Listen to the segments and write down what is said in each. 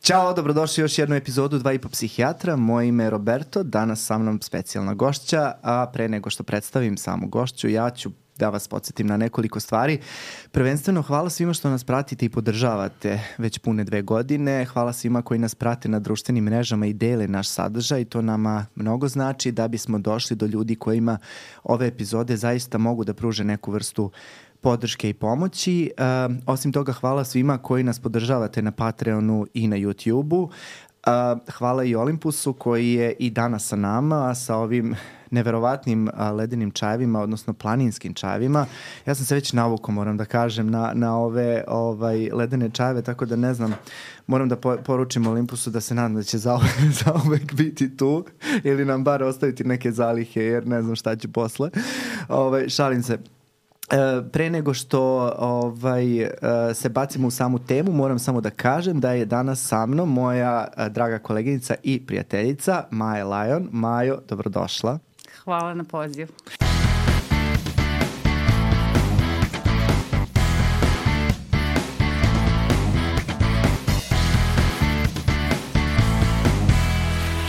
Ćao, dobrodošli u još jednu epizodu 2,5 psihijatra. Moje ime je Roberto, danas sa mnom specijalna gošća, a pre nego što predstavim samu gošću, ja ću da vas podsjetim na nekoliko stvari. Prvenstveno, hvala svima što nas pratite i podržavate već pune 2 godine. Hvala svima koji nas prate na društvenim mrežama i dele naš sadržaj. To nama mnogo znači da bismo došli do ljudi kojima ove epizode zaista mogu da pruže neku vrstu podrške i pomoći. Osim toga, hvala svima koji nas podržavate na Patreonu i na YouTubeu. Hvala i Olympusu koji je i danas sa nama, sa ovim neverovatnim ledenim čajevima, odnosno planinskim čajevima. Ja sam se već navukao, moram da kažem, na ove ledene čajeve, tako da ne znam, moram da poručim Olympusu da se nadam da će zauvek biti tu ili nam bar ostaviti neke zalihe, jer ne znam šta će posle. Šalim se. Pre nego što se bacimo u samu temu, moram samo da kažem da je danas sa mnom moja draga koleginica i prijateljica Maja Lajon. Majo, dobrodošla. Hvala na pozivu.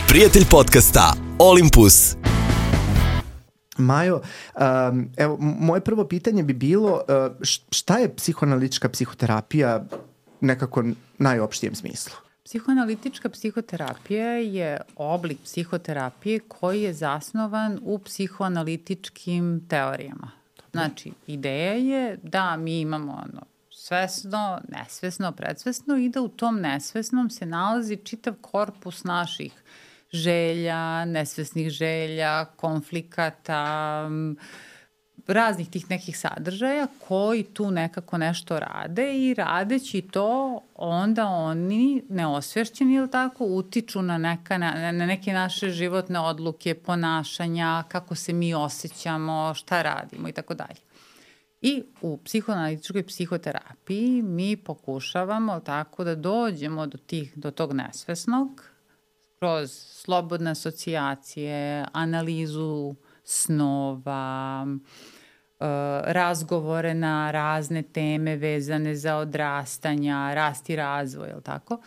Prijatelj podcasta Olympus. Majo, evo, moje prvo pitanje bi bilo šta je psihoanalitička psihoterapija nekako najopštijem smislu? Psihoanalitička psihoterapija je oblik psihoterapije koji je zasnovan u psihoanalitičkim teorijama. Znači, ideja je da mi imamo svesno, nesvesno, predsvesno i da u tom nesvesnom se nalazi čitav korpus naših želja, nesvesnih želja, konflikata, raznih tih nekih sadržaja koji tu nekako nešto rade i radeći to onda oni neosvešćeni ili tako utiču na neke naše životne odluke, ponašanja, kako se mi osjećamo, šta radimo i tako dalje. I u psihoanalitičkoj psihoterapiji mi pokušavamo tako da dođemo do tog nesvesnog kroz slobodne asocijacije, analizu snova, razgovore na razne teme vezane za odrastanja, rast i razvoj, je li tako?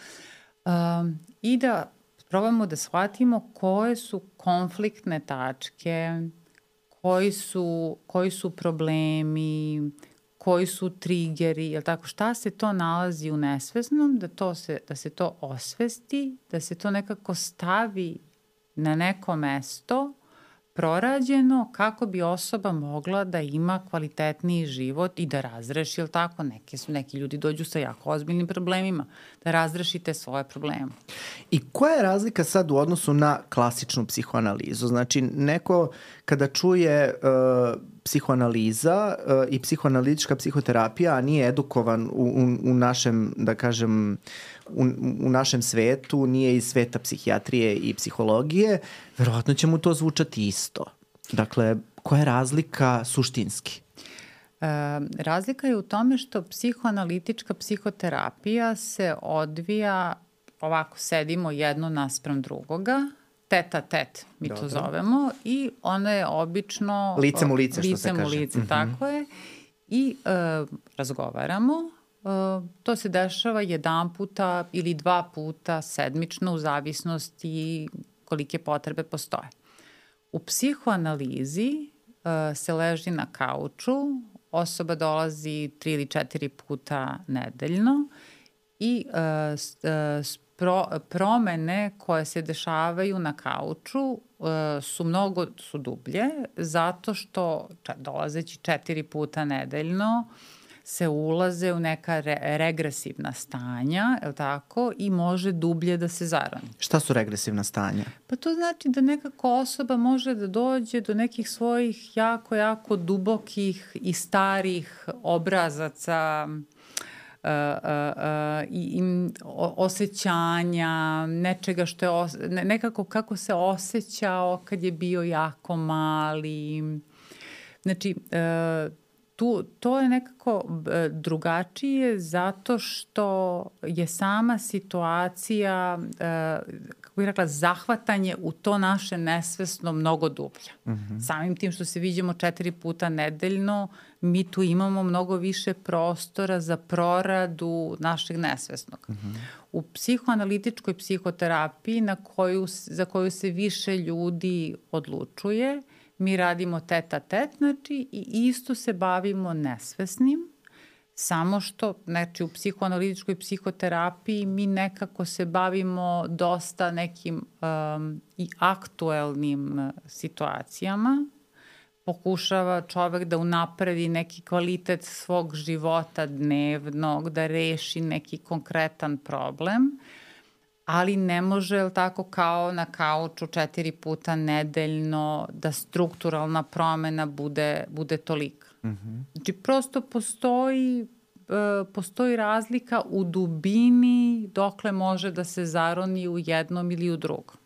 I da probamo da shvatimo koje su konfliktne tačke, koji su problemi, koji su triggeri, je li tako? Šta se to nalazi u nesvesnom, da se to osvesti, da se to nekako stavi na neko mesto prorađeno kako bi osoba mogla da ima kvalitetniji život i da razreši, je li tako? Neki ljudi dođu sa jako ozbiljnim problemima, da razrešite svoje probleme. I koja je razlika sad u odnosu na klasičnu psihoanalizu? Znači, neko kada čuje psihoanaliza i psihoanalitička psihoterapija, a nije edukovan u našem, da kažem, u našem svetu, nije iz sveta psihijatrije i psihologije, verovatno će mu to zvučati isto. Dakle, koja je razlika suštinski? Razlika je u tome što psihoanalitička psihoterapija se odvija, ovako sedimo jedno naspram drugoga, tet a tet, mi to zovemo, i ona je obično licem u lice, što se kaže. Licem u lice, tako je. I razgovaramo. To se dešava 1 puta ili 2 puta sedmično u zavisnosti kolike potrebe postoje. U psihoanalizi se leži na kauču, osoba dolazi 3 ili 4 puta nedeljno i promene koje se dešavaju na kauču su dublje, zato što dolazeći 4 puta nedeljno se ulaze u neka regresivna stanja, je li tako, i može dublje da se zaroni. Šta su regresivna stanja? Pa to znači da nekako osoba može da dođe do nekih svojih jako, jako dubokih i starih obrazaca, i osjećanja, nečega što je nekako kako se osjećao kad je bio jako mali. Znači, to je nekako drugačije zato što je sama situacija, kako bih rekla, zahvatanje u to naše nesvesno mnogo dublja. Samim tim što se viđamo 4 puta nedeljno, mi tu imamo mnogo više prostora za proradu našeg nesvesnog. U psihoanalitičkoj psihoterapiji za koju se više ljudi odlučuje, mi radimo tet-a-tet, znači, i isto se bavimo nesvesnim, samo što, znači, u psihoanalitičkoj psihoterapiji mi nekako se bavimo dosta nekim i aktuelnim situacijama. Pokušava čovek da unapredi neki kvalitet svog života dnevnog, da reši neki konkretan problem, ali ne može, jel tako, kao na kauču 4 puta nedeljno da strukturalna promena bude tolika. Znači, prosto postoji razlika u dubini dokle može da se zaroni u jednom ili u drugom.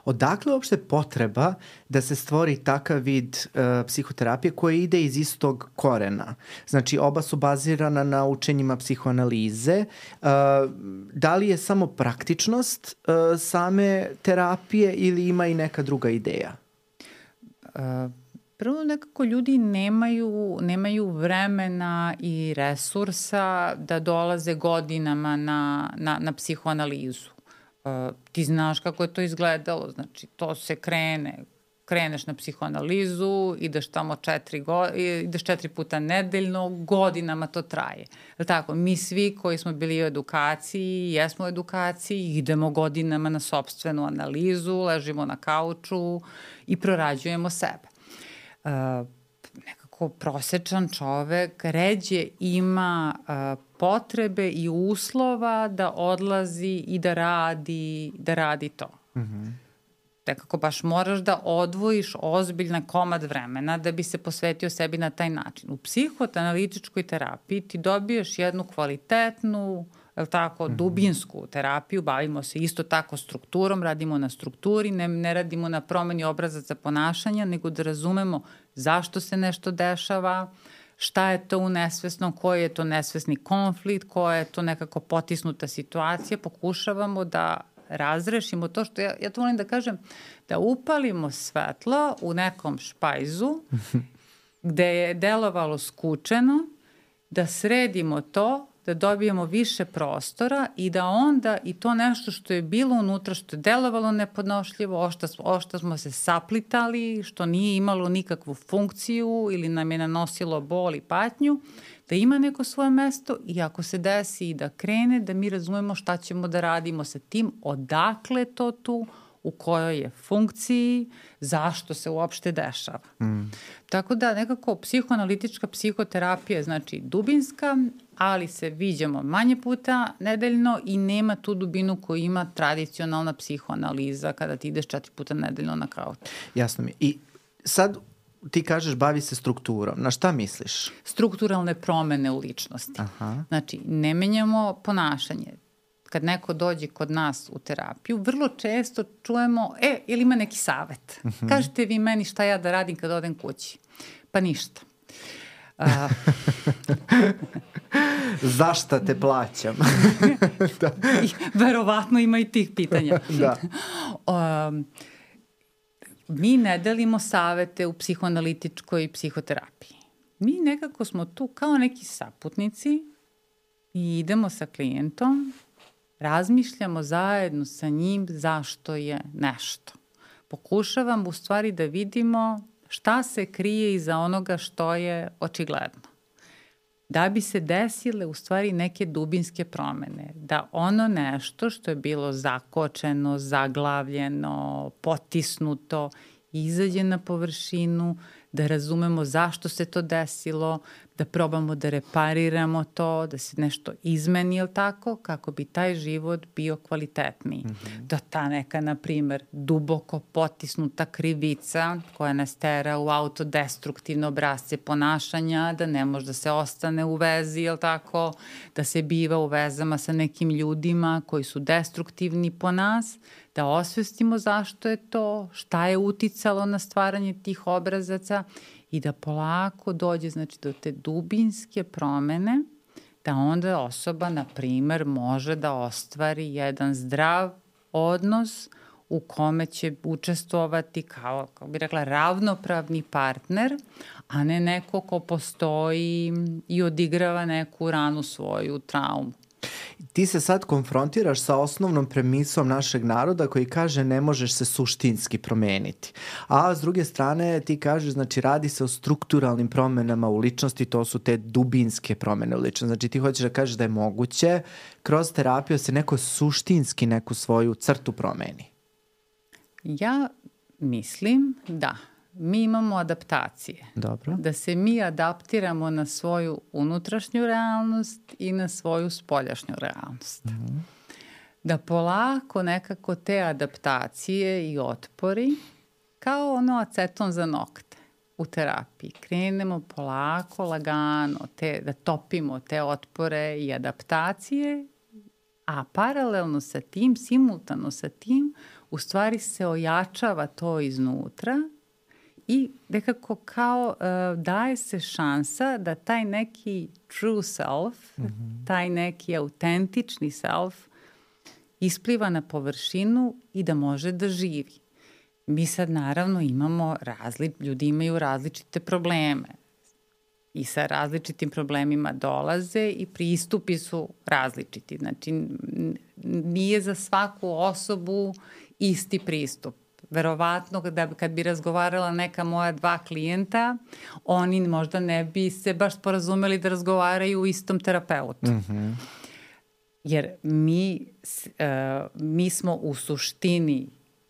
Odakle uopšte potreba da se stvori takav vid psihoterapije koja ide iz istog korena? Znači, oba su bazirana na učenjima psihoanalize. Da li je samo praktičnost same terapije ili ima i neka druga ideja? Prvo, nekako ljudi nemaju vremena i resursa da dolaze godinama na psihoanalizu. Ti znaš kako je to izgledalo, znači to se kreneš na psihoanalizu, ideš tamo 4 puta nedeljno, godinama to traje. Tako, mi svi koji smo bili u edukaciji, jesmo u edukaciji, idemo godinama na sopstvenu analizu, ležimo na kauču i prorađujemo sebe. Nekako prosečan čovek ređe ima potrebe i uslova da odlazi i da radi to. Nekako baš moraš da odvojiš ozbiljan komad vremena da bi se posvetio sebi na taj način. U psihoanalitičkoj terapiji ti dobiješ jednu kvalitetnu, dubinsku terapiju, bavimo se isto tako strukturom, radimo na strukturi, ne radimo na promeni obrazaca ponašanja, nego da razumemo zašto se nešto dešava, šta je to u nesvesnom, koji je to nesvesni konflikt, koja je to nekako potisnuta situacija, pokušavamo da razrešimo to što, ja to volim da kažem, da upalimo svetlo u nekom špajzu gde je delovalo skučeno, da sredimo to, da dobijemo više prostora i da onda i to nešto što je bilo unutra, što je delovalo nepodnošljivo, ošta smo se saplitali, što nije imalo nikakvu funkciju ili nam je nanosilo bol i patnju, da ima neko svoje mesto i ako se desi i da krene, da mi razumemo šta ćemo da radimo sa tim, odakle to tu, u kojoj je funkciji, zašto se uopšte dešava. Tako da nekako psihoanalitička psihoterapija je znači dubinska, ali se viđamo manje puta nedeljno i nema tu dubinu koju ima tradicionalna psihoanaliza kada ti ideš 4 puta nedeljno na kauč. Jasno mi. I sad ti kažeš bavi se strukturom. Na šta misliš? Strukturalne promene u ličnosti. Znači, ne menjamo ponašanje. Kad neko dođe kod nas u terapiju, vrlo često čujemo, jel ima neki savet? Kažete vi meni šta ja da radim kad odem kući? Pa ništa. Zašta te plaćam? Da. Verovatno ima i tih pitanja. Da. Mi ne delimo savete u psihoanalitičkoj psihoterapiji. Mi nekako smo tu kao neki saputnici i idemo sa klijentom, razmišljamo zajedno sa njim zašto je nešto. Pokušavamo u stvari da vidimo šta se krije iza onoga što je očigledno. Da bi se desile u stvari neke dubinske promene. Da ono nešto što je bilo zakočeno, zaglavljeno, potisnuto, izađe na površinu, da razumemo zašto se to desilo, da probamo da repariramo to, da se nešto izmeni, jel tako, kako bi taj život bio kvalitetniji. Da ta neka, na primer, duboko potisnuta krivica koja nas tera u autodestruktivne obrazce ponašanja, da ne može da se ostane u vezi, jel tako, da se biva u vezama sa nekim ljudima koji su destruktivni po nas, da osvestimo zašto je to, šta je uticalo na stvaranje tih obrazaca i da polako dođe znači, do te dubinske promene, da onda osoba, na primer, može da ostvari jedan zdrav odnos u kome će učestvovati kao bi rekla, ravnopravni partner, a ne neko ko postoji i odigrava neku ranu svoju traumu. Ti se sad konfrontiraš sa osnovnom premisom našeg naroda koji kaže ne možeš se suštinski promeniti. A s druge strane ti kažeš, znači radi se o strukturalnim promenama u ličnosti, to su te dubinske promene u ličnosti. Znači ti hoćeš da kažeš da je moguće kroz terapiju se neko suštinski neku svoju crtu promeni. Ja mislim da mi imamo adaptacije. Dobro. Da se mi adaptiramo na svoju unutrašnju realnost i na svoju spoljašnju realnost. Mm-hmm. Da polako nekako te adaptacije i otpori, kao ono aceton za nokte u terapiji, krenemo polako, lagano, da topimo te otpore i adaptacije, a paralelno sa tim, simultano sa tim, u stvari se ojačava to iznutra i nekako kao daje se šansa da taj neki true self, taj neki autentični self ispliva na površinu i da može da živi. Mi sad naravno imamo, ljudi imaju različite probleme i sa različitim problemima dolaze i pristupi su različiti. Znači, nije za svaku osobu isti pristup. Verovatno kad bi razgovarala neka moja 2 klijenta, oni možda ne bi se baš sporazumeli da razgovaraju u istom terapeutu. Mm-hmm. Jer mi smo u suštini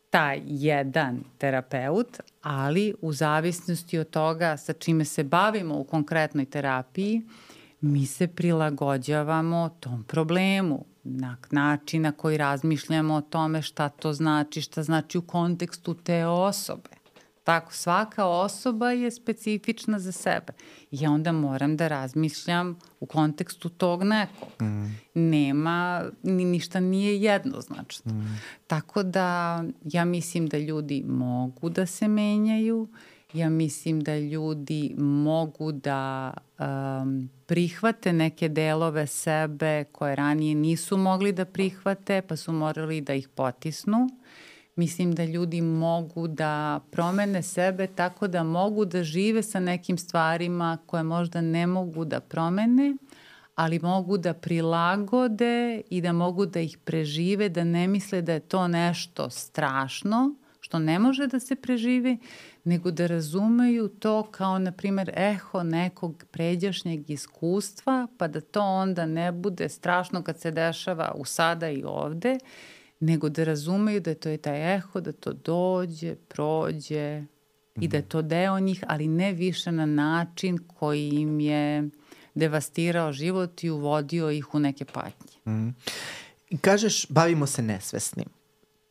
taj jedan terapeut, ali u zavisnosti od toga sa čime se bavimo u konkretnoj terapiji, mi se prilagođavamo tom problemu, na način na koji razmišljamo o tome šta to znači, šta znači u kontekstu te osobe. Tako, svaka osoba je specifična za sebe. Ja onda moram da razmišljam u kontekstu tog nekog. Ništa nije jednoznačno. Tako da ja mislim da ljudi mogu da se menjaju, ja mislim da ljudi mogu da prihvate neke delove sebe koje ranije nisu mogli da prihvate, pa su morali da ih potisnu. Mislim da ljudi mogu da promene sebe tako da mogu da žive sa nekim stvarima koje možda ne mogu da promene, ali mogu da prilagode i da mogu da ih prežive, da ne misle da je to nešto strašno, što ne može da se preživi, nego da razumeju to kao, na primjer, eho nekog pređašnjeg iskustva, pa da to onda ne bude strašno kad se dešava u sada i ovde, nego da razumeju da to je taj eho, da to dođe, prođe i da je to deo njih, ali ne više na način koji im je devastirao život i uvodio ih u neke patnje. I kažeš, bavimo se nesvesnim.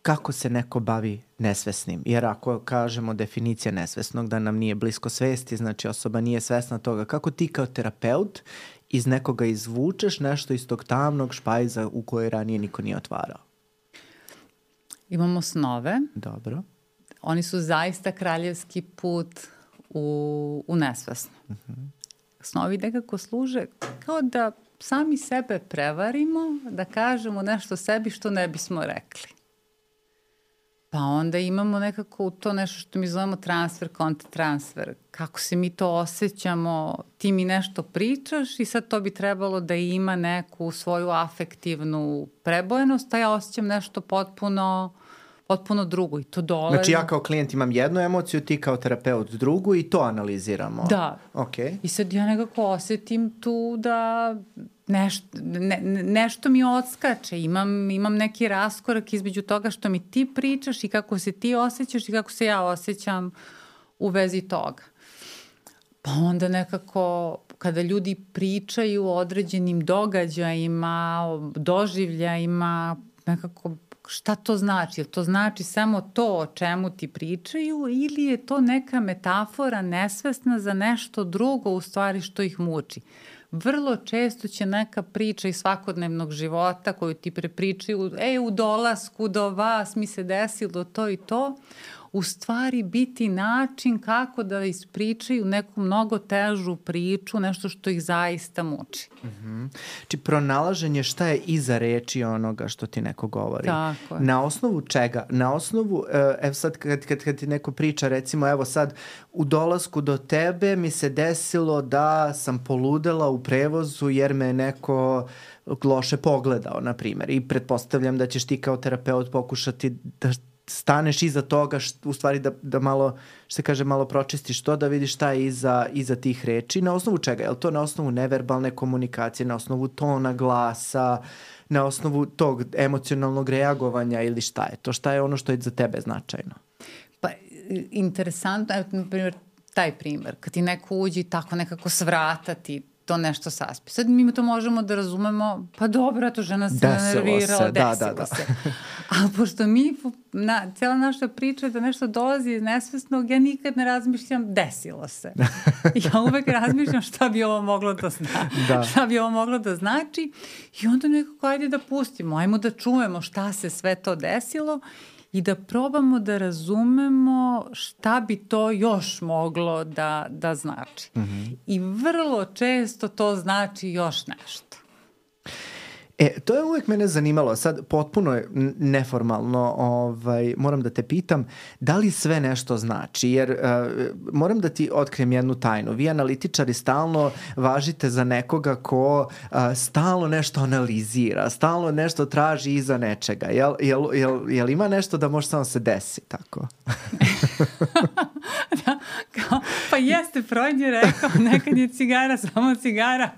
Kako se neko bavi nesvesnim? Jer ako kažemo definicija nesvesnog, da nam nije blisko svesti, znači osoba nije svesna toga, kako ti kao terapeut iz nekoga izvučeš nešto iz tog tamnog špajza u kojoj ranije niko nije otvarao? Imamo snove. Dobro. Oni su zaista kraljevski put u nesvesno. Snovi nekako služe kao da sami sebe prevarimo, da kažemo nešto sebi što ne bismo rekli. Pa onda imamo nekako to nešto što mi zovemo transfer, kontratransfer. Kako se mi to osjećamo, ti mi nešto pričaš i sad to bi trebalo da ima neku svoju afektivnu prebojenost, a ja osjećam nešto potpuno drugo i to dolazi. Znači ja kao klijent imam jednu emociju, ti kao terapeut drugu i to analiziramo. Da. Okay. I sad ja nekako osjetim tu da nešto mi odskače, imam neki raskorak između toga što mi ti pričaš i kako se ti osjećaš i kako se ja osjećam u vezi toga. Pa onda nekako kada ljudi pričaju o određenim događajima, o doživljajima, nekako šta to znači? Jel to znači samo to o čemu ti pričaju ili je to neka metafora nesvesna za nešto drugo u stvari što ih muči? Vrlo često će neka priča iz svakodnevnog života koju ti prepričaju, u dolasku do vas mi se desilo to i to, u stvari biti način kako da ispričaju neku mnogo težu priču, nešto što ih zaista muči. Či pronalaženje šta je iza reči onoga što ti neko govori. Tako je. Na osnovu čega? Na osnovu, evo sad kad ti neko priča, recimo, evo sad u dolasku do tebe mi se desilo da sam poludela u prevozu jer me neko loše pogledao, na primjer. I pretpostavljam da ćeš ti kao terapeut pokušati da staneš iza toga, u stvari da malo, što se kaže, malo pročistiš to, da vidiš šta je iza tih reči. Na osnovu čega? Je li to na osnovu neverbalne komunikacije, na osnovu tona glasa, na osnovu tog emocionalnog reagovanja ili šta je to? Šta je ono što je za tebe značajno? Pa, interesantno, evo, na primjer, taj primjer, kad ti neko uđe i tako nekako svrata ti to nešto saspi. Sad mi to možemo da razumemo, pa dobro, to žena se nervirala, desilo se. Ali pošto cijela naša priča da nešto dolazi iz nesvesnog, ja nikad ne razmišljam, desilo se. Ja uvek razmišljam šta bi ovo moglo da znači. Šta bi ovo moglo da znači i onda nekako ajde da pustimo, ajmo da čujemo šta se sve to desilo i da probamo da razumemo šta bi to još moglo da znači. I vrlo često to znači još nešto. To je uvijek mene zanimalo, sad potpuno je neformalno, moram da te pitam, da li sve nešto znači, jer moram da ti otkrijem jednu tajnu. Vi analitičari stalno važite za nekoga ko stalno nešto analizira, stalno nešto traži iza nečega. Jel ima nešto da može samo se desi tako? Da, pa jeste, Freud je rekao, nekad je cigara samo cigara.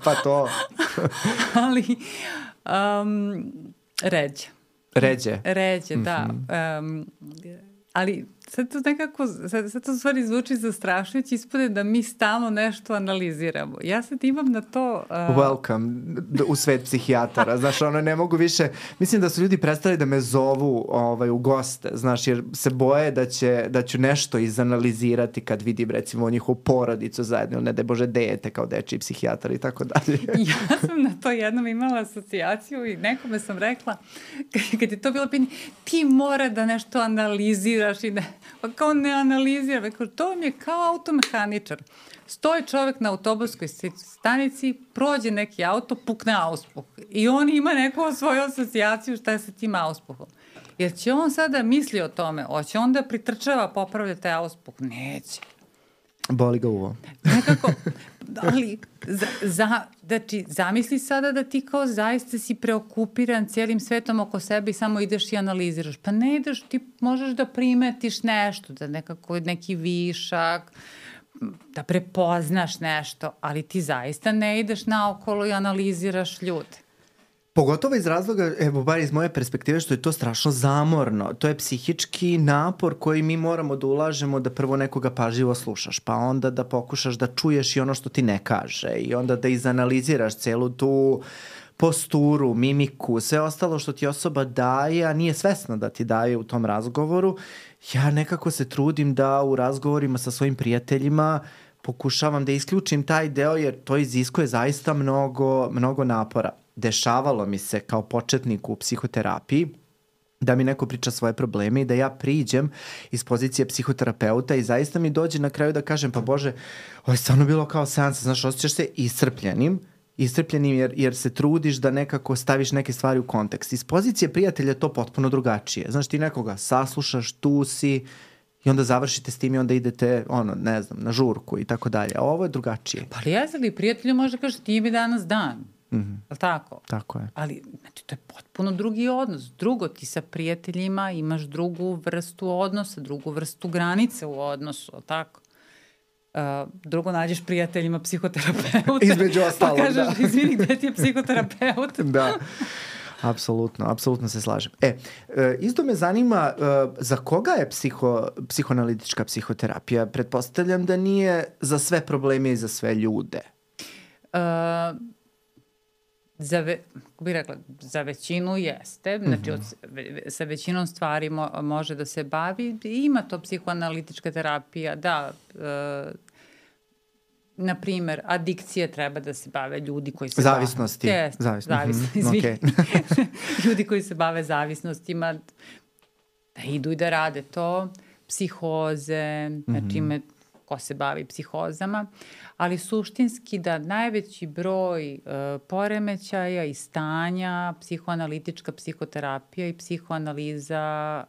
Pa to. Ali ređe. Ređe, da. Ali sad to nekako, sad to u stvari zvuči zastrašujući, ispade da mi stalno nešto analiziramo. Ja sad imam na to... Welcome u svet psihijatara. Znaš, ne mogu više... Mislim da su ljudi prestali da me zovu u goste, znaš, jer se boje da ću nešto izanalizirati kad vidim, recimo, njihovu porodicu zajedno, ne daj Bože, dete kao dečiji psihijatar i tako dalje. Ja sam na to jednom imala asocijaciju i nekome sam rekla, kad je to bilo pitanje, ti mora da nešto analiziraš i pa kao ne analizira, to vam je kao automehaničar. Stoji čovjek na autobuskoj stanici, prođe neki auto, pukne auspuh. I on ima neku svoju asocijaciju šta je sa tim auspuhom. Jer će on sada misli o tome, hoće on da pritrčava, popravlja taj auspuh? Neće. Boli ga uvo. Nekako, ali znači, zamisli sada da ti kao zaista si preokupiran cijelim svetom oko sebe i samo ideš i analiziraš. Pa ne ideš, ti možeš da primetiš nešto, da nekako neki višak, da prepoznaš nešto, ali ti zaista ne ideš naokolo i analiziraš ljude. Pogotovo iz razloga, evo bar iz moje perspektive, što je to strašno zamorno. To je psihički napor koji mi moramo da ulažemo da prvo nekoga pažljivo slušaš, pa onda da pokušaš da čuješ i ono što ti ne kaže i onda da izanaliziraš celu tu posturu, mimiku, sve ostalo što ti osoba daje, a nije svesna da ti daje u tom razgovoru. Ja nekako se trudim da u razgovorima sa svojim prijateljima pokušavam da isključim taj deo jer to iziskuje zaista mnogo napora. Dešavalo mi se kao početniku u psihoterapiji da mi neko priča svoje probleme i da ja priđem iz pozicije psihoterapeuta i zaista mi dođe na kraju da kažem, pa Bože, ovo je stvarno bilo kao seansa, znaš, osjećaš se iscrpljenim jer se trudiš da nekako staviš neke stvari u kontekst. Iz pozicije prijatelja to potpuno drugačije. Znaš, ti nekoga saslušaš, tu si i onda završite s tim i onda idete, ne znam, na žurku i tako dalje. A ovo je drugačije. Pa li jesi li prijatelju može kažeš ti mi danas dan? Je li tako? Tako je. Ali, znači, to je potpuno drugi odnos. Drugo, ti sa prijateljima imaš drugu vrstu odnosa, drugu vrstu granice u odnosu, je li tako? Drugo, nađeš prijateljima psihoterapeuta. Između ostalog, pa kažeš, izvini, gde ti je psihoterapeut? Da. Apsolutno se slažem. Isto me zanima za koga je psihoanalitička psihoterapija? Pretpostavljam da nije za sve probleme i za sve ljude. Za većinu jeste, znači sa većinom stvari može da se bavi. Ima to psihoanalitička terapija, da, na primjer, adikcije treba da se bave ljudi koji se zavisnosti. Zavisnosti, izvini. Ljudi koji se bave zavisnostima. da idu i da rade to, psihoze, znači ko se bavi psihozama, ali suštinski da najveći broj poremećaja i stanja psihoanalitička psihoterapija i psihoanaliza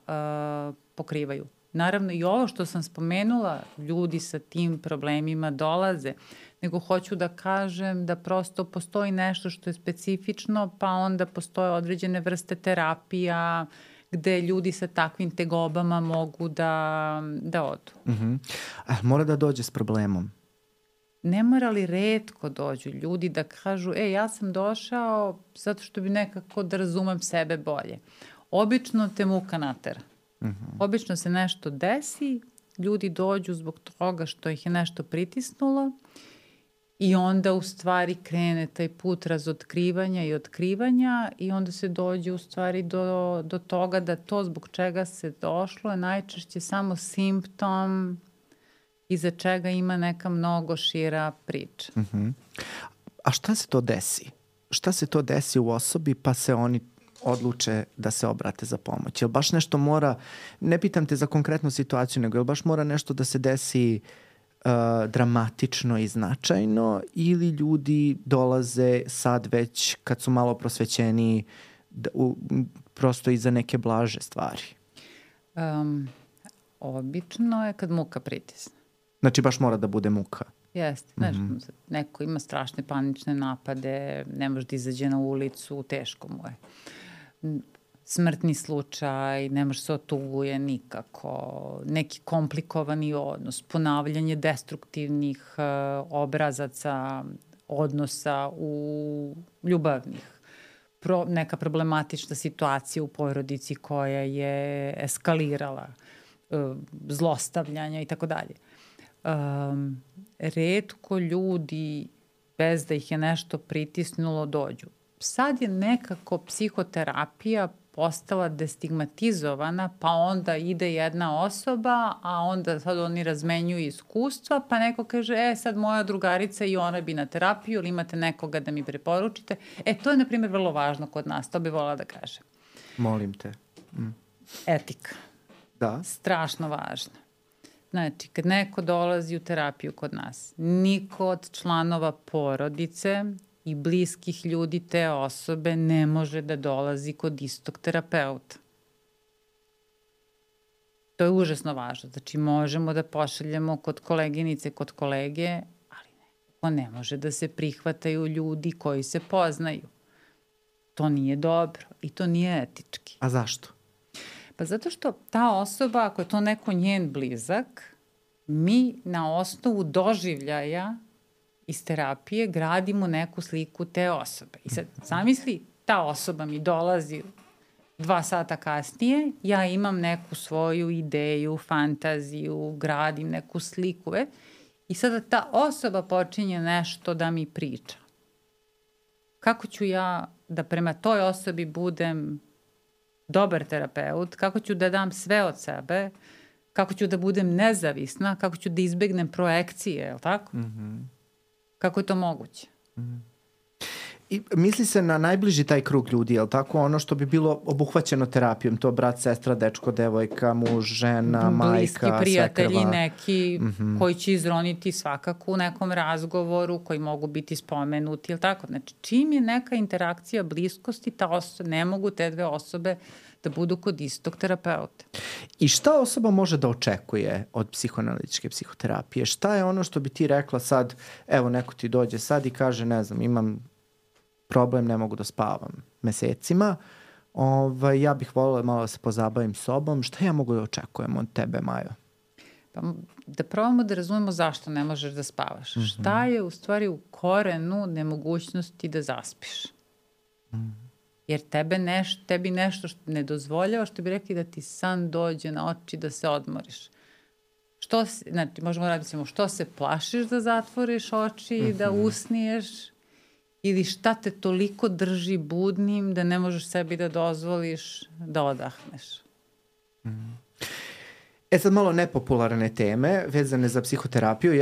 pokrivaju. Naravno i ovo što sam spomenula, ljudi sa tim problemima dolaze, nego hoću da kažem da prosto postoji nešto što je specifično, pa onda postoje određene vrste terapija gde ljudi sa takvim tegobama mogu da odu. Mora da dođe s problemom. Ne mora li retko dođu ljudi da kažu, ja sam došao zato što bi nekako da razumem sebe bolje. Obično te muka natera. Obično se nešto desi, ljudi dođu zbog toga što ih je nešto pritisnulo i onda u stvari krene taj put razotkrivanja i otkrivanja i onda se dođe u stvari do toga da to zbog čega se došlo je najčešće samo simptom iza čega ima neka mnogo šira priča. A šta se to desi? Šta se to desi u osobi pa se oni odluče da se obrate za pomoć? Jel baš nešto mora, ne pitam te za konkretnu situaciju, nego jel baš mora nešto da se desi dramatično i značajno ili ljudi dolaze sad već kad su malo prosvećeni prosto iza neke blaže stvari? Obično je kad muka pritisne. Znači baš mora da bude muka? Jeste. Znaš, neko ima strašne panične napade, ne može da izađe na ulicu, teško mu je. Smrtni slučaj, ne može se otuguje nikako, neki komplikovani odnos, ponavljanje destruktivnih obrazaca, odnosa u ljubavnih, neka problematična situacija u porodici koja je eskalirala, zlostavljanja i tako dalje. Retko ljudi, bez da ih je nešto pritisnulo, dođu. Sad je nekako psihoterapija postala destigmatizovana, pa onda ide jedna osoba, a onda sad oni razmenjuju iskustva, pa neko kaže, sad moja drugarica i ona bi na terapiju, ili imate nekoga da mi preporučite. To je, na primjer, vrlo važno kod nas, to bi volila da kažem. Molim te. Etika. Da. Strašno važna. Znači, kad neko dolazi u terapiju kod nas, niko od članova porodice i bliskih ljudi te osobe ne može da dolazi kod istog terapeuta. To je užasno važno. Znači, možemo da pošaljemo kod koleginice, kod kolege, ali ne može da se prihvataju ljudi koji se poznaju. To nije dobro i to nije etički. A zašto? Pa zato što ta osoba, ako je to neko njen blizak, mi na osnovu doživljaja iz terapije gradimo neku sliku te osobe. I sad, zamisli, ta osoba mi dolazi 2 sata kasnije, ja imam neku svoju ideju, fantaziju, gradim neku sliku, i sada ta osoba počinje nešto da mi priča. Kako ću ja da prema toj osobi budem dobar terapeut, kako ću da dam sve od sebe, kako ću da budem nezavisna, kako ću da izbegnem projekcije, je li tako? Kako je to moguće? I misli se na najbliži taj krug ljudi, je li tako? Ono što bi bilo obuhvaćeno terapijom, to brat, sestra, dečko, devojka, muž, žena, majka, bliski prijatelji svekrva. neki koji će izroniti svakako u nekom razgovoru, koji mogu biti spomenuti, je li tako? Znači, čim je neka interakcija bliskosti, ne mogu te 2 osobe da budu kod istog terapeuta. I šta osoba može da očekuje od psihoanalitičke psihoterapije? Šta je ono što bi ti rekla sad, evo neko ti dođe sad i kaže, ne znam, imam problem, ne mogu da spavam mesecima, ja bih voljela malo da se pozabavim sobom, šta ja mogu da očekujem od tebe, Majo? Pa da probamo da razumemo zašto ne možeš da spavaš. Šta je u stvari u korenu nemogućnosti da zaspiš? Jer tebi nešto što ne dozvoljava, što bi rekli da ti san dođe na oči da se odmoriš. Znači, možemo raditi što se plašiš da zatvoriš oči i da usniješ, ili šta te toliko drži budnim da ne možeš sebi da dozvoliš da odahneš. Sad malo nepopularne teme vezane za psihoterapiju,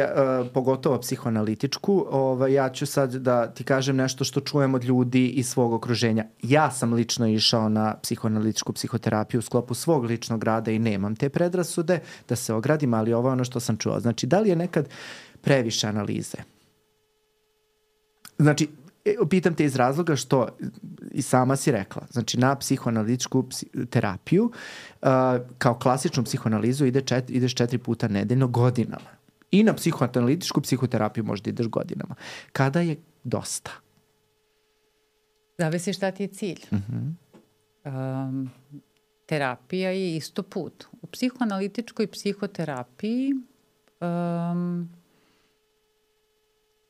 pogotovo psihoanalitičku. Ja ću sad da ti kažem nešto što čujem od ljudi iz svog okruženja. Ja sam lično išao na psihoanalitičku psihoterapiju u sklopu svog ličnog rada i nemam te predrasude, da se ogradim, ali ovo je ono što sam čuo. Znači, da li je nekad previše analize? Znači, pitam te iz razloga što i sama si rekla, znači na psihoanalitičku terapiju kao klasičnu psihoanalizu ideš 4 puta nedeljno godinama. I na psihoanalitičku psihoterapiju možda ideš godinama. Kada je dosta? Zavisi šta ti je cilj. Terapija je isto put. U psihoanalitičkoj psihoterapiji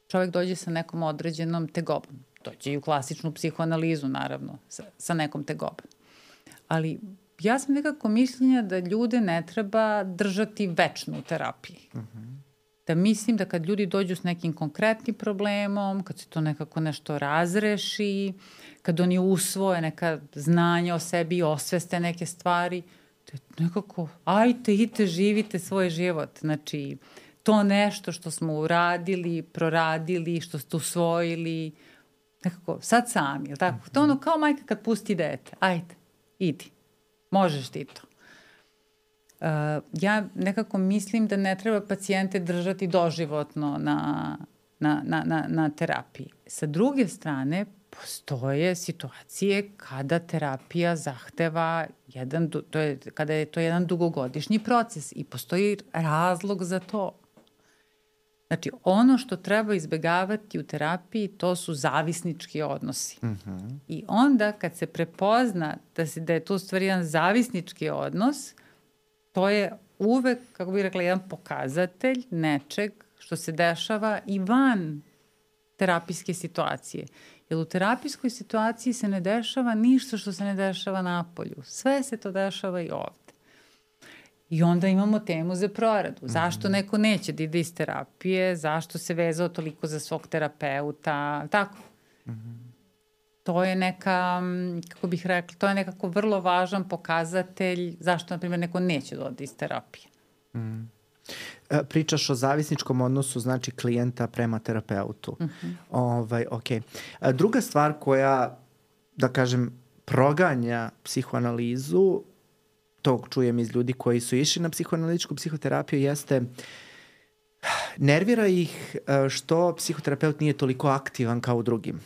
čovjek dođe sa nekom određenom tegobom. Dođe i u klasičnu psihoanalizu, naravno, sa nekom tegobom. Ali ja sam nekako mišljenja da ljude ne treba držati večno u terapiji. Da mislim da kad ljudi dođu s nekim konkretnim problemom, kad se to nekako nešto razreši, kad oni usvoje neka znanja o sebi i osveste neke stvari, to je nekako, ajte, idite, živite svoj život. Znači, to nešto što smo uradili, proradili, što ste usvojili, nekako, sad sami, je li tako? To ono kao majka kad pusti dete. Ajde, idi, možeš ti to. Ja nekako mislim da ne treba pacijente držati doživotno na terapiji. Sa druge strane, postoje situacije kada terapija zahteva kada je to jedan dugogodišnji proces i postoji razlog za to. Znači, ono što treba izbegavati u terapiji, to su zavisnički odnosi. I onda kad se prepozna da je to u stvari jedan zavisnički odnos, to je uvek, kako bih rekla, jedan pokazatelj nečeg što se dešava i van terapijske situacije. Jer u terapijskoj situaciji se ne dešava ništa što se ne dešava napolju. Sve se to dešava i ovde. I onda imamo temu za proradu. Zašto neko neće da ide iz terapije? Zašto se vezao toliko za svog terapeuta? Tako. To je neka, kako bih rekla, to je nekako vrlo važan pokazatelj zašto, na primjer, neko neće da ode iz terapije. Pričaš o zavisničkom odnosu, znači klijenta prema terapeutu. Okay. Druga stvar koja, da kažem, proganja psihoanalizu, to čujem iz ljudi koji su išli na psihoanalitičku psihoterapiju, jeste nervira ih što psihoterapeut nije toliko aktivan kao u drugim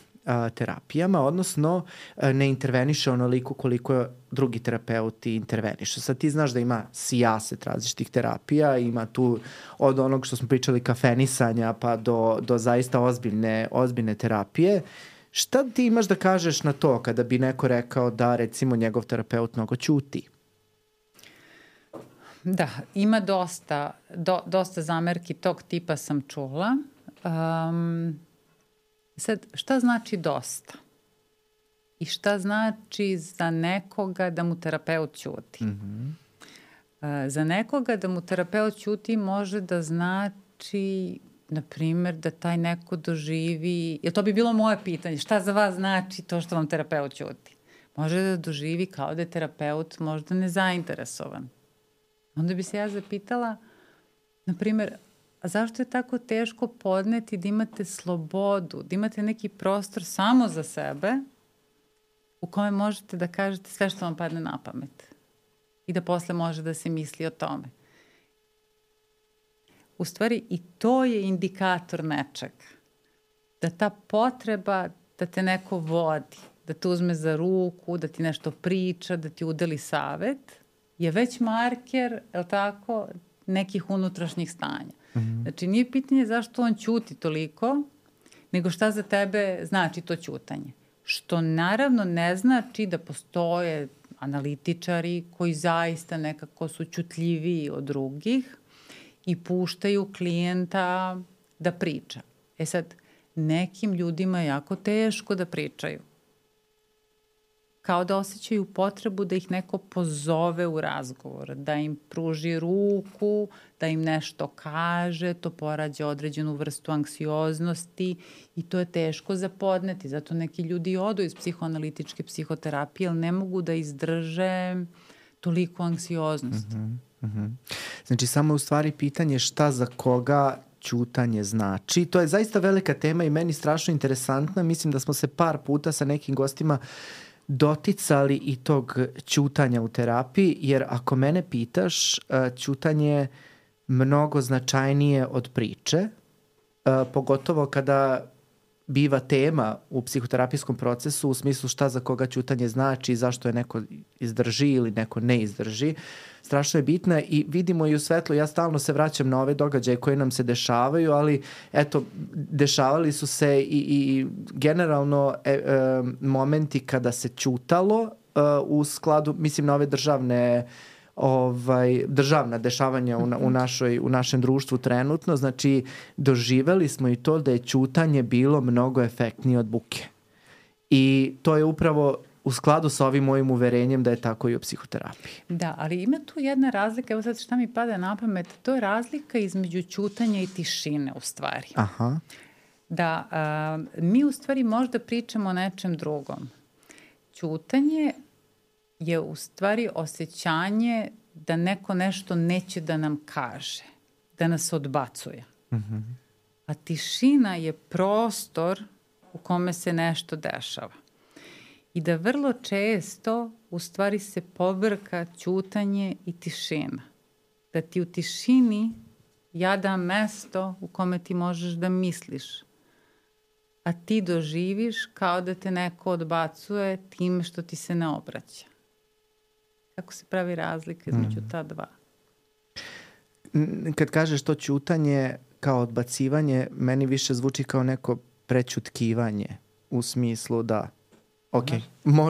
terapijama, odnosno ne interveniše onoliko koliko drugi terapeuti intervenišu. Sad ti znaš da ima sijaset različitih terapija, ima tu od onog što smo pričali kafenisanja pa do zaista ozbiljne terapije. Šta ti imaš da kažeš na to kada bi neko rekao da recimo njegov terapeut mnogo ćuti? Da, ima dosta zamerki tog tipa sam čula. Sad, šta znači dosta? I šta znači za nekoga da mu terapeut ćuti? Za nekoga da mu terapeut ćuti može da znači, na primjer, da taj neko doživi, jer to bi bilo moje pitanje, šta za vas znači to što vam terapeut ćuti? Može da doživi kao da je terapeut možda nezainteresovan. Onda bi se ja zapitala, na primjer, a zašto je tako teško podneti da imate slobodu, da imate neki prostor samo za sebe u kome možete da kažete sve što vam padne na pamet i da posle može da se misli o tome. U stvari i to je indikator nečeg. Da ta potreba da te neko vodi, da te uzme za ruku, da ti nešto priča, da ti udeli savet, je već marker, je li tako, nekih unutrašnjih stanja. Znači, nije pitanje zašto on ćuti toliko, nego šta za tebe znači to ćutanje. Što naravno ne znači da postoje analitičari koji zaista nekako su ćutljiviji od drugih i puštaju klijenta da priča. Sad, nekim ljudima je jako teško da pričaju. Kao da osjećaju potrebu da ih neko pozove u razgovor, da im pruži ruku, da im nešto kaže, to porađa određenu vrstu anksioznosti i to je teško za podneti. Zato neki ljudi odu iz psihoanalitičke psihoterapije, ali ne mogu da izdrže toliko anksioznosti. Znači, samo u stvari pitanje šta za koga ćutanje znači. To je zaista velika tema i meni strašno interesantna. Mislim da smo se par puta sa nekim gostima doticali i tog ćutanja u terapiji, jer ako mene pitaš, ćutanje je mnogo značajnije od priče, pogotovo kada biva tema u psihoterapijskom procesu u smislu šta za koga ćutanje znači, zašto je neko izdrži ili neko ne izdrži. Strašno je bitna i vidimo i u svetlu, ja stalno se vraćam na ove događaje koje nam se dešavaju, ali eto, dešavali su se i generalno momenti kada se ćutalo u skladu, mislim na ove državna dešavanja u našem društvu trenutno, znači doživeli smo i to da je ćutanje bilo mnogo efektnije od buke. I to je upravo u skladu sa ovim mojim uverenjem da je tako i u psihoterapiji. Da, ali ima tu jedna razlika, evo sad šta mi pada na pamet, to je razlika između ćutanja i tišine u stvari. Aha. Da, mi u stvari možda pričamo o nečem drugom. Ćutanje je u stvari osjećanje da neko nešto neće da nam kaže, da nas odbacuje. A tišina je prostor u kome se nešto dešava. I da vrlo često u stvari se pobrka ćutanje i tišina. Da ti u tišini ja dam mesto u kome ti možeš da misliš, a ti doživiš kao da te neko odbacuje time što ti se ne obraća. Kako se pravi razlika između ta dva? Kad kažeš to ćutanje kao odbacivanje, meni više zvuči kao neko prećutkivanje u smislu da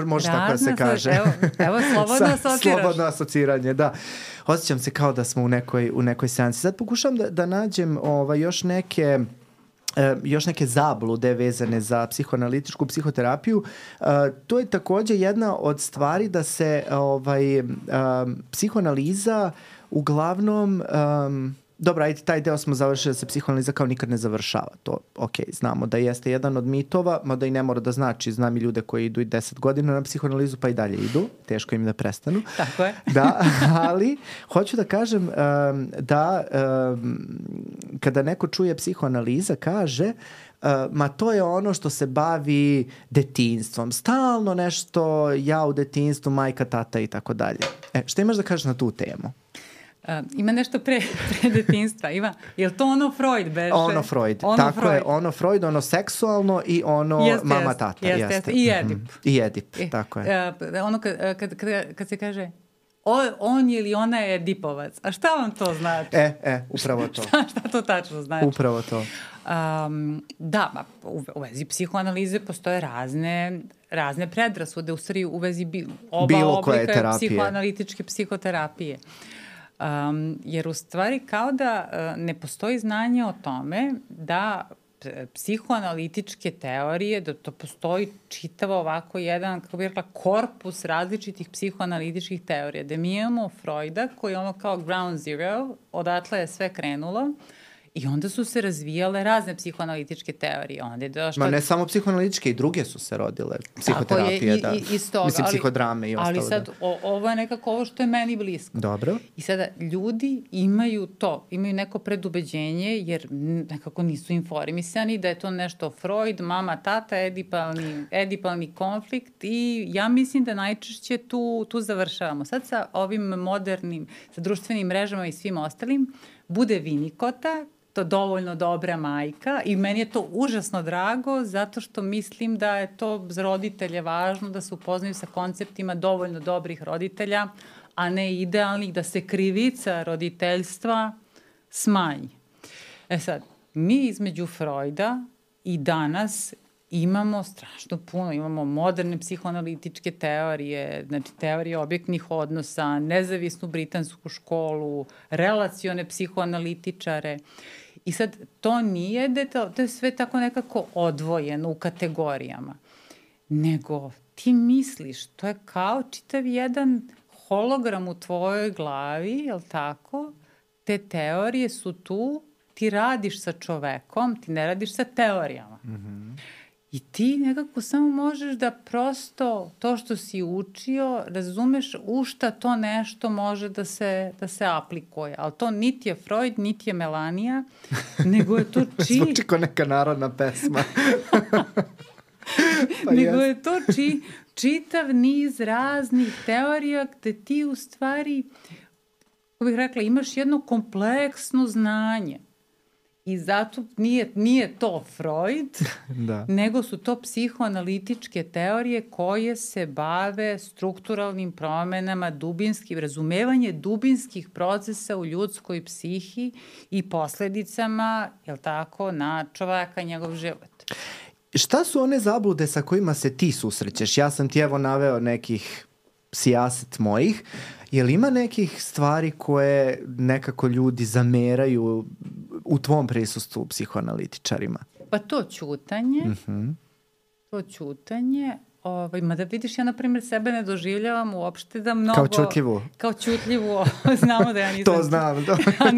može tako da se kaže. Evo slobodno asociraš. Slobodno asociranje, da. Osjećam se kao da smo u nekoj seansi. Sad pokušam da nađem još neke zablude vezane za psihoanalitičku psihoterapiju. To je takođe jedna od stvari da se psihoanaliza uglavnom... Dobro, ajde, taj deo smo završili da se psihoanaliza kao nikad ne završava. To, znamo da jeste jedan od mitova, mada i ne mora da znači. Znam i ljude koji idu i 10 godina na psihoanalizu pa i dalje idu. Teško im da prestanu. Tako je. Da, ali hoću da kažem da kada neko čuje psihoanaliza kaže ma to je ono što se bavi detinjstvom. Stalno nešto ja u detinjstvu, majka, tata i tako dalje. Šta imaš da kažeš na tu temu? Ima nešto pre detinjstva, ima. Je li to ono Freud beše? Ono Freud, tako Freud. Je, ono Freud, ono seksualno i ono mama, tata. Jeste. I Edip. I Edip, tako je. Ono kad se kaže on ili ona je Edipovac, a šta vam to znači? Upravo to. Šta to tačno znači? Upravo to. Da, u vezi psihoanalize postoje razne predrasude, u stvari u vezi oba oblika psihoanalitičke psihoterapije. Jer u stvari kao da ne postoji znanje o tome da psihoanalitičke teorije, da to postoji čitavo ovako jedan, kako bih rekla, korpus različitih psihoanalitičkih teorija. Da mi imamo Freuda koji je ono kao ground zero, odatle je sve krenulo. I onda su se razvijale razne psihoanalitičke teorije. Ma ne samo psihoanalitičke, i druge su se rodile. Psihoterapije, da. Mislim, psihodrame i ostalo. Ali sad, ovo je nekako ovo što je meni blisko. Dobro. I sada, ljudi imaju neko predubeđenje, jer nekako nisu informisani da je to nešto Freud, mama, tata, edipalni konflikt i ja mislim da najčešće tu završavamo. Sad sa ovim modernim, sa društvenim mrežama i svim ostalim, bude Vinikota, to dovoljno dobra majka i meni je to užasno drago zato što mislim da je to za roditelje važno da se upoznaju sa konceptima dovoljno dobrih roditelja, a ne idealnih, da se krivica roditeljstva smanji. Sad, mi između Freuda i danas imamo strašno puno, imamo moderne psihoanalitičke teorije, znači teorije objektnih odnosa, nezavisnu britansku školu, relacione psihoanalitičare. I sad, to nije to je sve tako nekako odvojeno u kategorijama. Nego ti misliš, to je kao čitav jedan hologram u tvojoj glavi, je li tako? Te teorije su tu, ti radiš sa čovekom, ti ne radiš sa teorijama. I ti nekako samo možeš da prosto to što si učio, razumeš u šta to nešto može da se aplikuje. Ali to niti je Freud, niti je Melanija, nego je to Zvuči kao neka narodna pesma. nego je to čitav niz raznih teorija gde ti u stvari, kako bih rekla, imaš jedno kompleksno znanje. I zato nije to Freud, Da. nego su to psihoanalitičke teorije koje se bave strukturalnim promenama, razumevanje dubinskih procesa u ljudskoj psihi i posledicama, jel tako, na čoveka i njegov život. Šta su one zablude sa kojima se ti susrećeš? Ja sam ti evo naveo nekih sijaset mojih. Je li ima nekih stvari koje nekako ljudi zameraju u tvom prisustvu psihoanalitičarima? Pa to ćutanje, mada vidiš, ja na primjer sebe ne doživljavam uopšte da mnogo... Kao ćutljivu? Kao ćutljivu, znamo da ja nisam... To znam,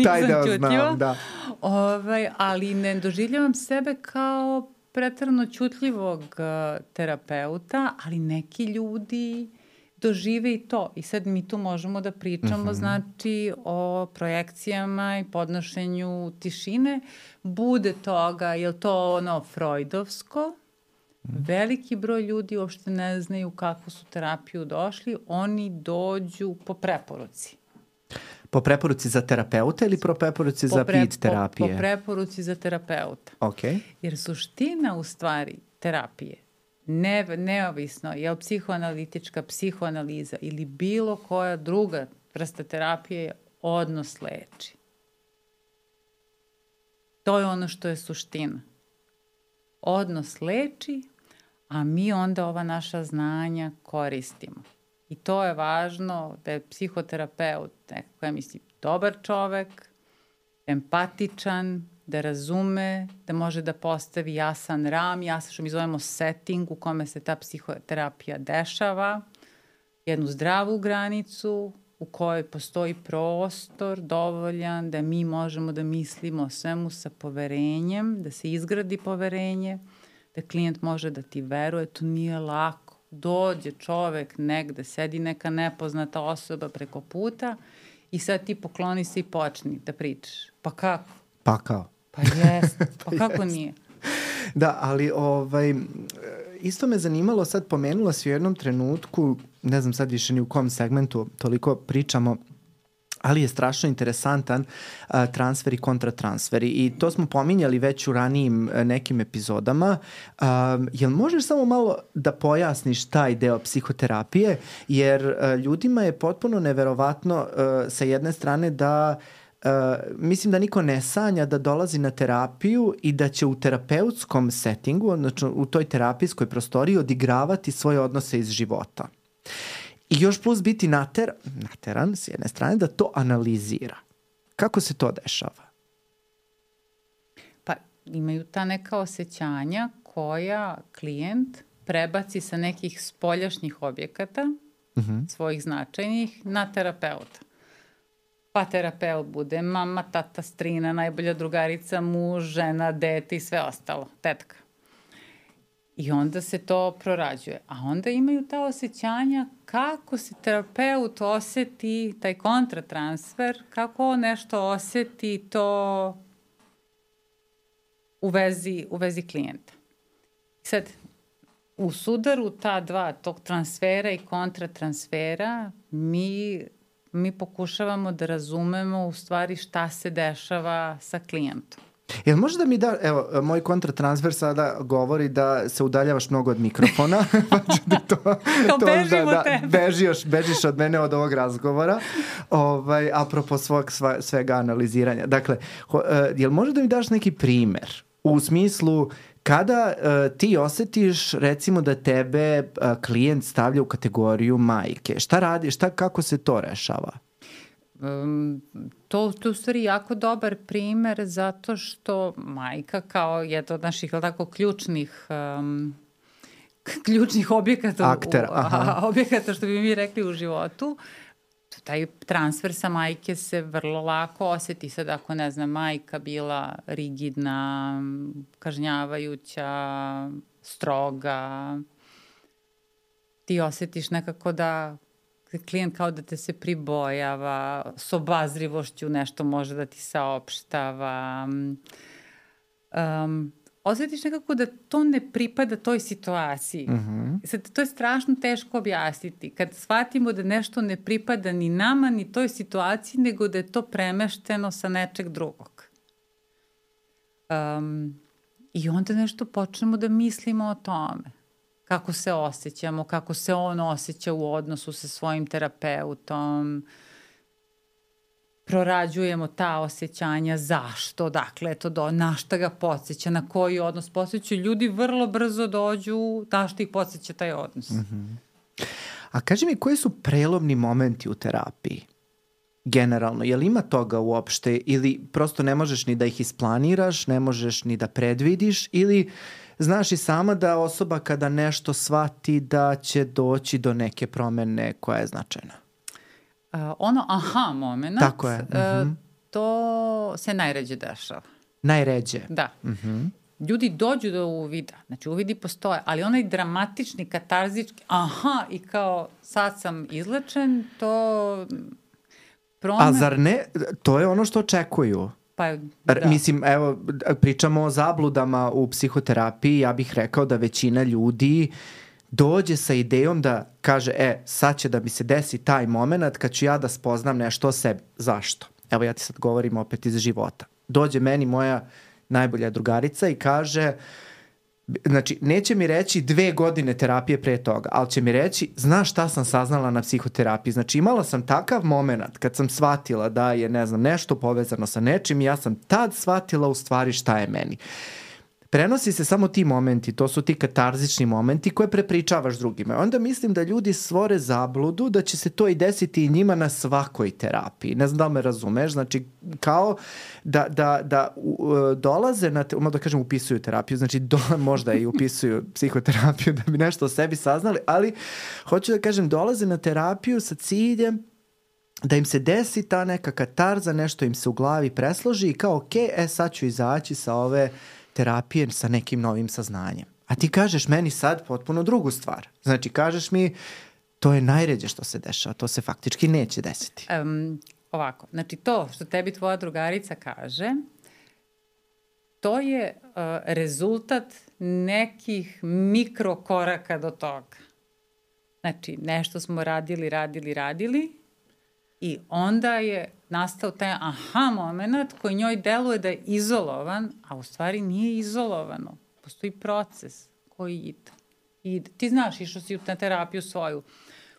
taj deo znam, da. Ali ne doživljavam sebe kao preterano ćutljivog terapeuta, ali neki ljudi dožive i to. I sad mi tu možemo da pričamo, znači, o projekcijama i podnošenju tišine. Bude toga, je li to ono freudovsko? Veliki broj ljudi uopšte ne znaju kako su terapiju došli. Oni dođu po preporuci. Po preporuci za terapeuta ili po preporuci za vid terapije? Po preporuci za terapeuta. Okay. Jer suština u stvari terapije, neovisno je li psihoanalitička, psihoanaliza ili bilo koja druga vrsta terapije, je odnos leči. To je ono što je suština. Odnos leči, a mi onda ova naša znanja koristimo. I to je važno da je psihoterapeut nekako, ja mislim, dobar čovek, empatičan, da razume, da može da postavi jasan ram, jasan što mi zovemo setting u kome se ta psihoterapija dešava, jednu zdravu granicu u kojoj postoji prostor dovoljan da mi možemo da mislimo o svemu sa poverenjem, da se izgradi poverenje, da klijent može da ti veruje, to nije lako. Dođe čovek negde, sedi neka nepoznata osoba preko puta i sad ti pokloni se i počni da pričaš. Pa kako? Pa kao? Pa jest, pa kako nije? Da, ali isto me zanimalo, sad pomenula si u jednom trenutku, ne znam sad više ni u kom segmentu toliko pričamo, ali je strašno interesantan transfer i kontratransfer. I to smo pominjali već u ranijim nekim epizodama. Jel možeš samo malo da pojasniš taj deo psihoterapije? Jer ljudima je potpuno neverovatno sa jedne strane da mislim da niko ne sanja da dolazi na terapiju i da će u terapeutskom settingu, odnosno u toj terapijskoj prostoriji odigravati svoje odnose iz života. I još plus biti nateran s jedne strane da to analizira. Kako se to dešava? Pa imaju ta neka osjećanja koja klijent prebaci sa nekih spoljašnjih objekata, svojih značajnih, na terapeuta. Pa terapeut bude mama, tata, strina, najbolja drugarica, muž, žena, dete i sve ostalo, tetka. I onda se to prorađuje. A onda imaju ta osjećanja kako se terapeut oseti, taj kontratransfer, kako on nešto oseti to u vezi klijenta. Sad, u sudaru ta dva, tog transfera i kontratransfera, mi pokušavamo da razumemo u stvari šta se dešava sa klijentom. Jel možda mi da, evo, moj kontratransfer sada govori da se udaljavaš mnogo od mikrofona. Kao bežim od tebe. Bežiš od mene od ovog razgovora, apropo svega analiziranja. Dakle, jel možda da mi daš neki primer u smislu kada ti osetiš recimo da tebe klijent stavlja u kategoriju majke? Šta radi, kako se to rešava? To je u stvari jako dobar primer zato što majka kao jedna od naših ključnih objekata, objekata što bi mi rekli u životu, taj transfer sa majke se vrlo lako osjeti. Sad ako, ne znam, majka bila rigidna, kažnjavajuća, stroga. Ti osjetiš nekako da klijent kao da te se pribojava, s obazrivošću nešto može da ti saopštava. Osjetiš nekako da to ne pripada toj situaciji. Sad, to je strašno teško objasniti. Kad shvatimo da nešto ne pripada ni nama, ni toj situaciji, nego da je to premešteno sa nečeg drugog. I onda nešto počnemo da mislimo o tome. Kako se osjećamo, kako se on osjeća u odnosu sa svojim terapeutom. Prorađujemo ta osjećanja, zašto, dakle, na šta ga podsjeća, na koji odnos podsjeća. Ljudi vrlo brzo dođu, na šta ih podsjeća taj odnos. A kaži mi, koji su prelomni momenti u terapiji? Generalno, je li ima toga uopšte ili prosto ne možeš ni da ih isplaniraš, ne možeš ni da predvidiš ili znaš i sama da osoba kada nešto shvati da će doći do neke promene koja je značajna? Aha moment, tako je. To se najređe dešava. Najređe? Da. Ljudi dođu do uvida, znači uvidi postoje, ali onaj dramatični, katarzički, i kao sad sam izlečen, to... A zar ne? To je ono što očekuju. Pa, da. Mislim, evo, pričamo o zabludama u psihoterapiji, ja bih rekao da većina ljudi dođe sa idejom da kaže, sad će da mi se desi taj moment kad ću ja da spoznam nešto o sebi. Zašto? Evo, ja ti sad govorim opet iz života. Dođe meni moja najbolja drugarica i kaže, znači, neće mi reći 2 godine terapije pre toga, ali će mi reći, znaš šta sam saznala na psihoterapiji. Znači, imala sam takav moment kad sam shvatila da je, ne znam, nešto povezano sa nečim i ja sam tad shvatila u stvari šta je meni. Prenosi se samo ti momenti, to su ti katarzični momenti koje prepričavaš drugima. Onda mislim da ljudi stvore zabludu da će se to i desiti i njima na svakoj terapiji. Ne znam da li me razumeš, znači kao da dolaze na, da kažem upisuju terapiju, znači možda i upisuju psihoterapiju da bi nešto o sebi saznali, ali hoću da kažem dolaze na terapiju sa ciljem da im se desi ta neka katarza, nešto im se u glavi presloži i kao sad ću izaći sa ove terapije sa nekim novim saznanjem. A ti kažeš meni sad potpuno drugu stvar. Znači, kažeš mi, to je najređe što se dešava, to se faktički neće desiti. Ovako, znači to što tebi tvoja drugarica kaže, to je rezultat nekih mikrokoraka do toga. Znači, nešto smo radili i onda je nastao taj moment koji njoj deluje da je izolovan, a u stvari nije izolovano. Postoji proces koji ide. Ti znaš, išao si na terapiju svoju,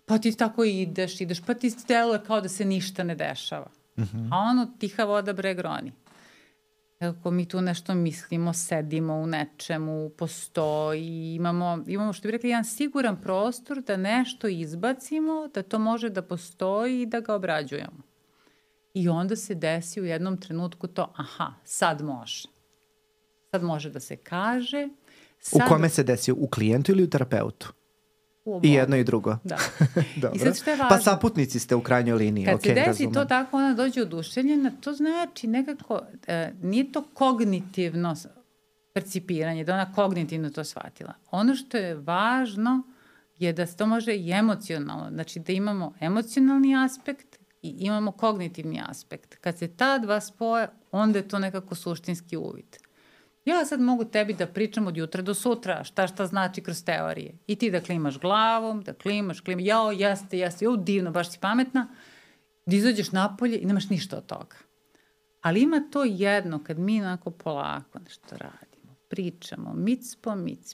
pa ti tako ideš, pa ti deluje kao da se ništa ne dešava. A ono, tiha voda breg roni. Kako mi tu nešto mislimo, sedimo u nečemu, postoji, imamo što bi rekli, jedan siguran prostor da nešto izbacimo, da to može da postoji i da ga obrađujemo. I onda se desi u jednom trenutku to, sad može. Sad može da se kaže. U kome se desi? U klijentu ili u terapeutu? I jedno i drugo. Da. Dobro. I sad što je važno? Pa saputnici ste u krajnjoj liniji. Kad se desi razumem. to tako, ona dođe oduševljena, to znači nekako, nije to kognitivno percipiranje, da ona kognitivno to shvatila. Ono što je važno je da se to može i emocionalno, znači da imamo emocionalni aspekt i imamo kognitivni aspekt. Kad se ta dva spoje, onda je to nekako suštinski uvid. Ja sad mogu tebi da pričam od jutra do sutra šta znači kroz teorije. I ti da klimaš glavom, da klimaš, jao, jeste, divno, baš si pametna, da izađeš napolje i nemaš ništa od toga. Ali ima to jedno, kad mi onako polako nešto radimo, pričamo, mic po mic,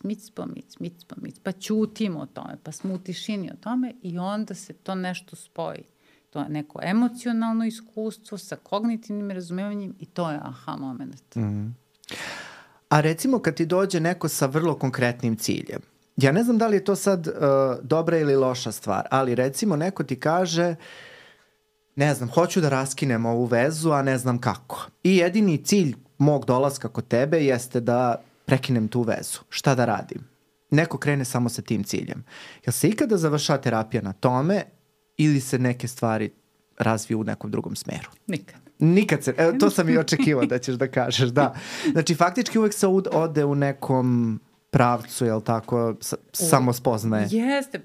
pa ćutimo o tome, pa smo u tišini o tome i onda se to nešto spoji. To je neko emocionalno iskustvo sa kognitivnim razumevanjem i to je moment. A recimo kad ti dođe neko sa vrlo konkretnim ciljem, ja ne znam da li je to sad dobra ili loša stvar, ali recimo neko ti kaže, ne znam, hoću da raskinem ovu vezu, a ne znam kako. I jedini cilj mog dolaska kod tebe jeste da prekinem tu vezu. Šta da radim? Neko krene samo sa tim ciljem. Jel se ikada završava terapija na tome ili se neke stvari razviju u nekom drugom smeru? Nikad se, to sam i očekivao da ćeš da kažeš, da. Znači, faktički uvek se ode u nekom pravcu, je li tako, samo spoznaje? Jeste,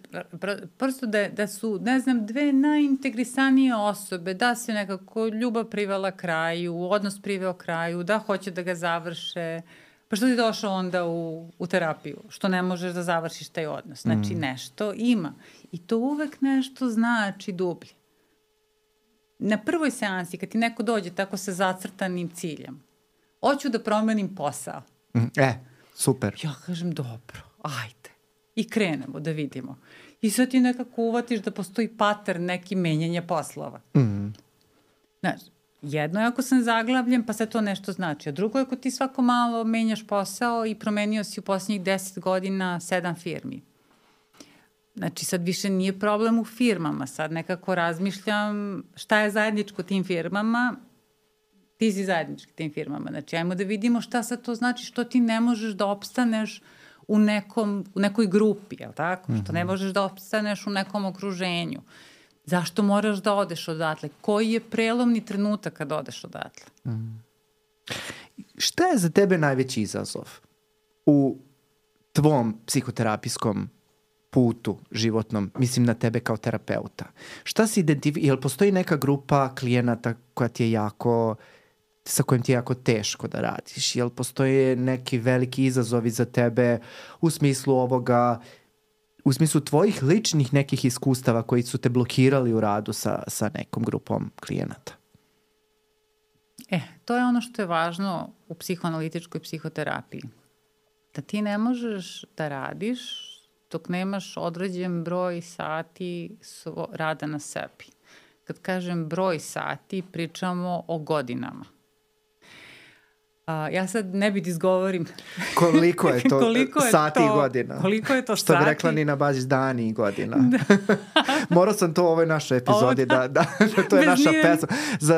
prosto da su, ne znam, dve najintegrisanije osobe, da se nekako ljubav privela kraju, odnos priveo kraju, da hoće da ga završe, pa što ti došao onda u terapiju? Što ne možeš da završiš taj odnos? Znači, nešto ima. I to uvek nešto znači dublje. Na prvoj seansi, kad ti neko dođe tako sa zacrtanim ciljem, hoću da promenim posao. Super. Ja kažem, dobro, ajde. I krenemo da vidimo. I sad ti nekako uvatiš da postoji pattern neki menjanja poslova. Znaš, jedno je ako sam zaglavljen, pa sad to nešto znači. A drugo je ako ti svako malo menjaš posao i promenio si u posljednjih 10 godina 7 firmi. Znači, sad više nije problem u firmama. Sad nekako razmišljam šta je zajedničko tim firmama. Ti si zajednički tim firmama. Znači, ajmo da vidimo šta sad to znači, što ti ne možeš da opstaneš u nekoj grupi, je li tako? Što ne možeš da opstaneš u nekom okruženju. Zašto moraš da odeš odatle? Koji je prelomni trenutak kad odeš odatle? Šta je za tebe najveći izazov u tvom psihoterapijskom putu životnom, mislim na tebe kao terapeuta? Šta si jel postoji neka grupa klijenata koja ti je sa kojim ti je jako teško da radiš? Jel postoje neki veliki izazovi za tebe u smislu ovoga, u smislu tvojih ličnih nekih iskustava koji su te blokirali u radu sa nekom grupom klijenata? To je ono što je važno u psihoanalitičkoj psihoterapiji. Da ti ne možeš da radiš dok nemaš određen broj sati rada na sebi. Kad kažem broj sati, pričamo o godinama. Ja sad ne bih izgovorim koliko je to sati i godina. Koliko je to što sati. Što bi rekla Nina Bazić, dani i godina. Morao sam to u ovoj našoj epizodi da to je naša pesma.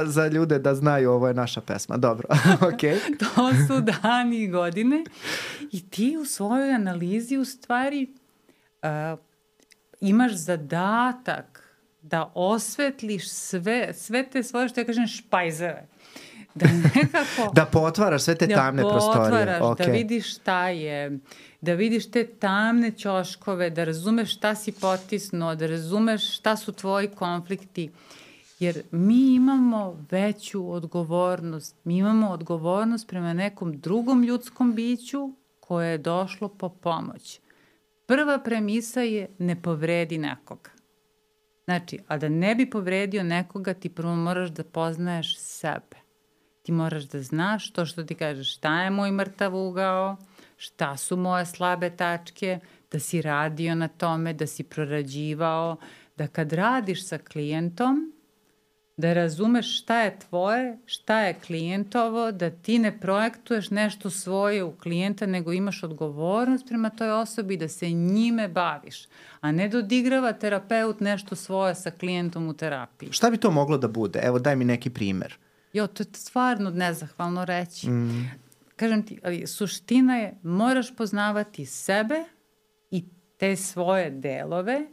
Za ljude da znaju, ovo je naša pesma. Dobro, okej. To su dani i godine i ti u svojoj analizi u stvari imaš zadatak da osvetliš sve te svoje, što ja kažem, špajzeve. Da nekako... da potvaraš sve te tamne prostorije. Da vidiš šta je, da vidiš te tamne ćoškove, da razumeš šta si potisnuo, da razumeš šta su tvoji konflikti. Jer mi imamo veću odgovornost. Mi imamo odgovornost prema nekom drugom ljudskom biću koje je došlo po pomoć. Prva premisa je ne povredi nekoga. Znači, a da ne bi povredio nekoga, ti prvo moraš da poznaješ sebe. Ti moraš da znaš to što ti kažeš, šta je moj mrtav ugao, šta su moje slabe tačke, da si radio na tome, da si prorađivao, da kad radiš sa klijentom, da razumeš šta je tvoje, šta je klijentovo, da ti ne projektuješ nešto svoje u klijenta, nego imaš odgovornost prema toj osobi da se njime baviš, a ne da odigrava terapeut nešto svoje sa klijentom u terapiji. Šta bi to moglo da bude? Evo, daj mi neki primer. To je stvarno nezahvalno reći. Kažem ti, ali suština je, moraš poznavati sebe i te svoje delove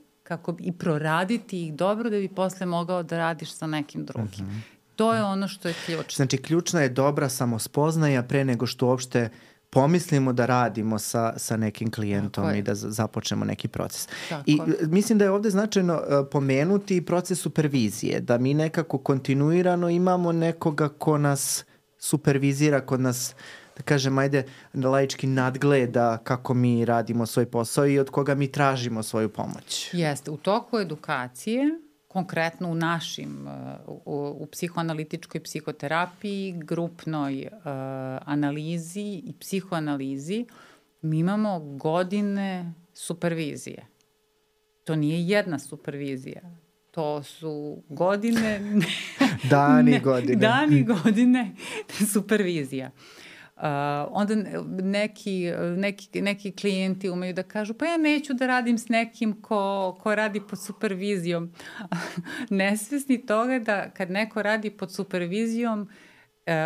i proraditi ih dobro da bi posle mogao da radiš sa nekim drugim. To je ono što je ključno. Znači, ključna je dobra samospoznaja pre nego što uopšte pomislimo da radimo sa nekim klijentom i da započnemo neki proces. I mislim da je ovde značajno pomenuti proces supervizije, da mi nekako kontinuirano imamo nekoga ko nas supervizira, ko nas, da kažem, ajde, laički nadgleda kako mi radimo svoj posao i od koga mi tražimo svoju pomoć. Jeste, u toku edukacije, konkretno u našim, u psihoanalitičkoj psihoterapiji, grupnoj analizi i psihoanalizi, mi imamo godine supervizije. To nije jedna supervizija. To su godine... Dani godine supervizija. Onda neki klijenti umeju da kažu, pa ja neću da radim s nekim ko radi pod supervizijom. Nesvesni toga da kad neko radi pod supervizijom,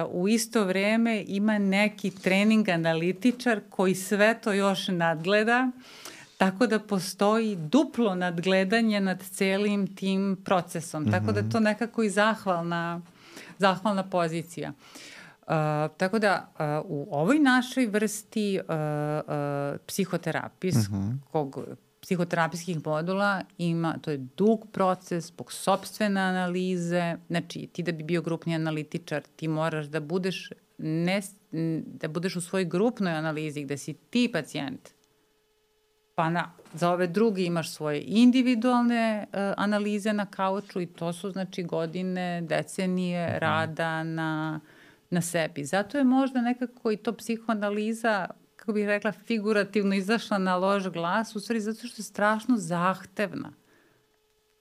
u isto vreme ima neki trening analitičar koji sve to još nadgleda, tako da postoji duplo nadgledanje nad celim tim procesom. Tako da je to nekako i zahvalna pozicija. Tako da u ovoj našoj vrsti psihoterapijskih modula to je dug proces zbog sopstvene analize. Znači, ti da bi bio grupni analitičar, ti moraš da budeš u svojoj grupnoj analizi gde si ti pacijent, pa za ove drugi imaš svoje individualne analize na kauču i to su znači godine, decenije rada na sebi. Zato je možda nekako i to psihoanaliza, kako bih rekla, figurativno izašla na loš glas, u stvari zato što je strašno zahtevna.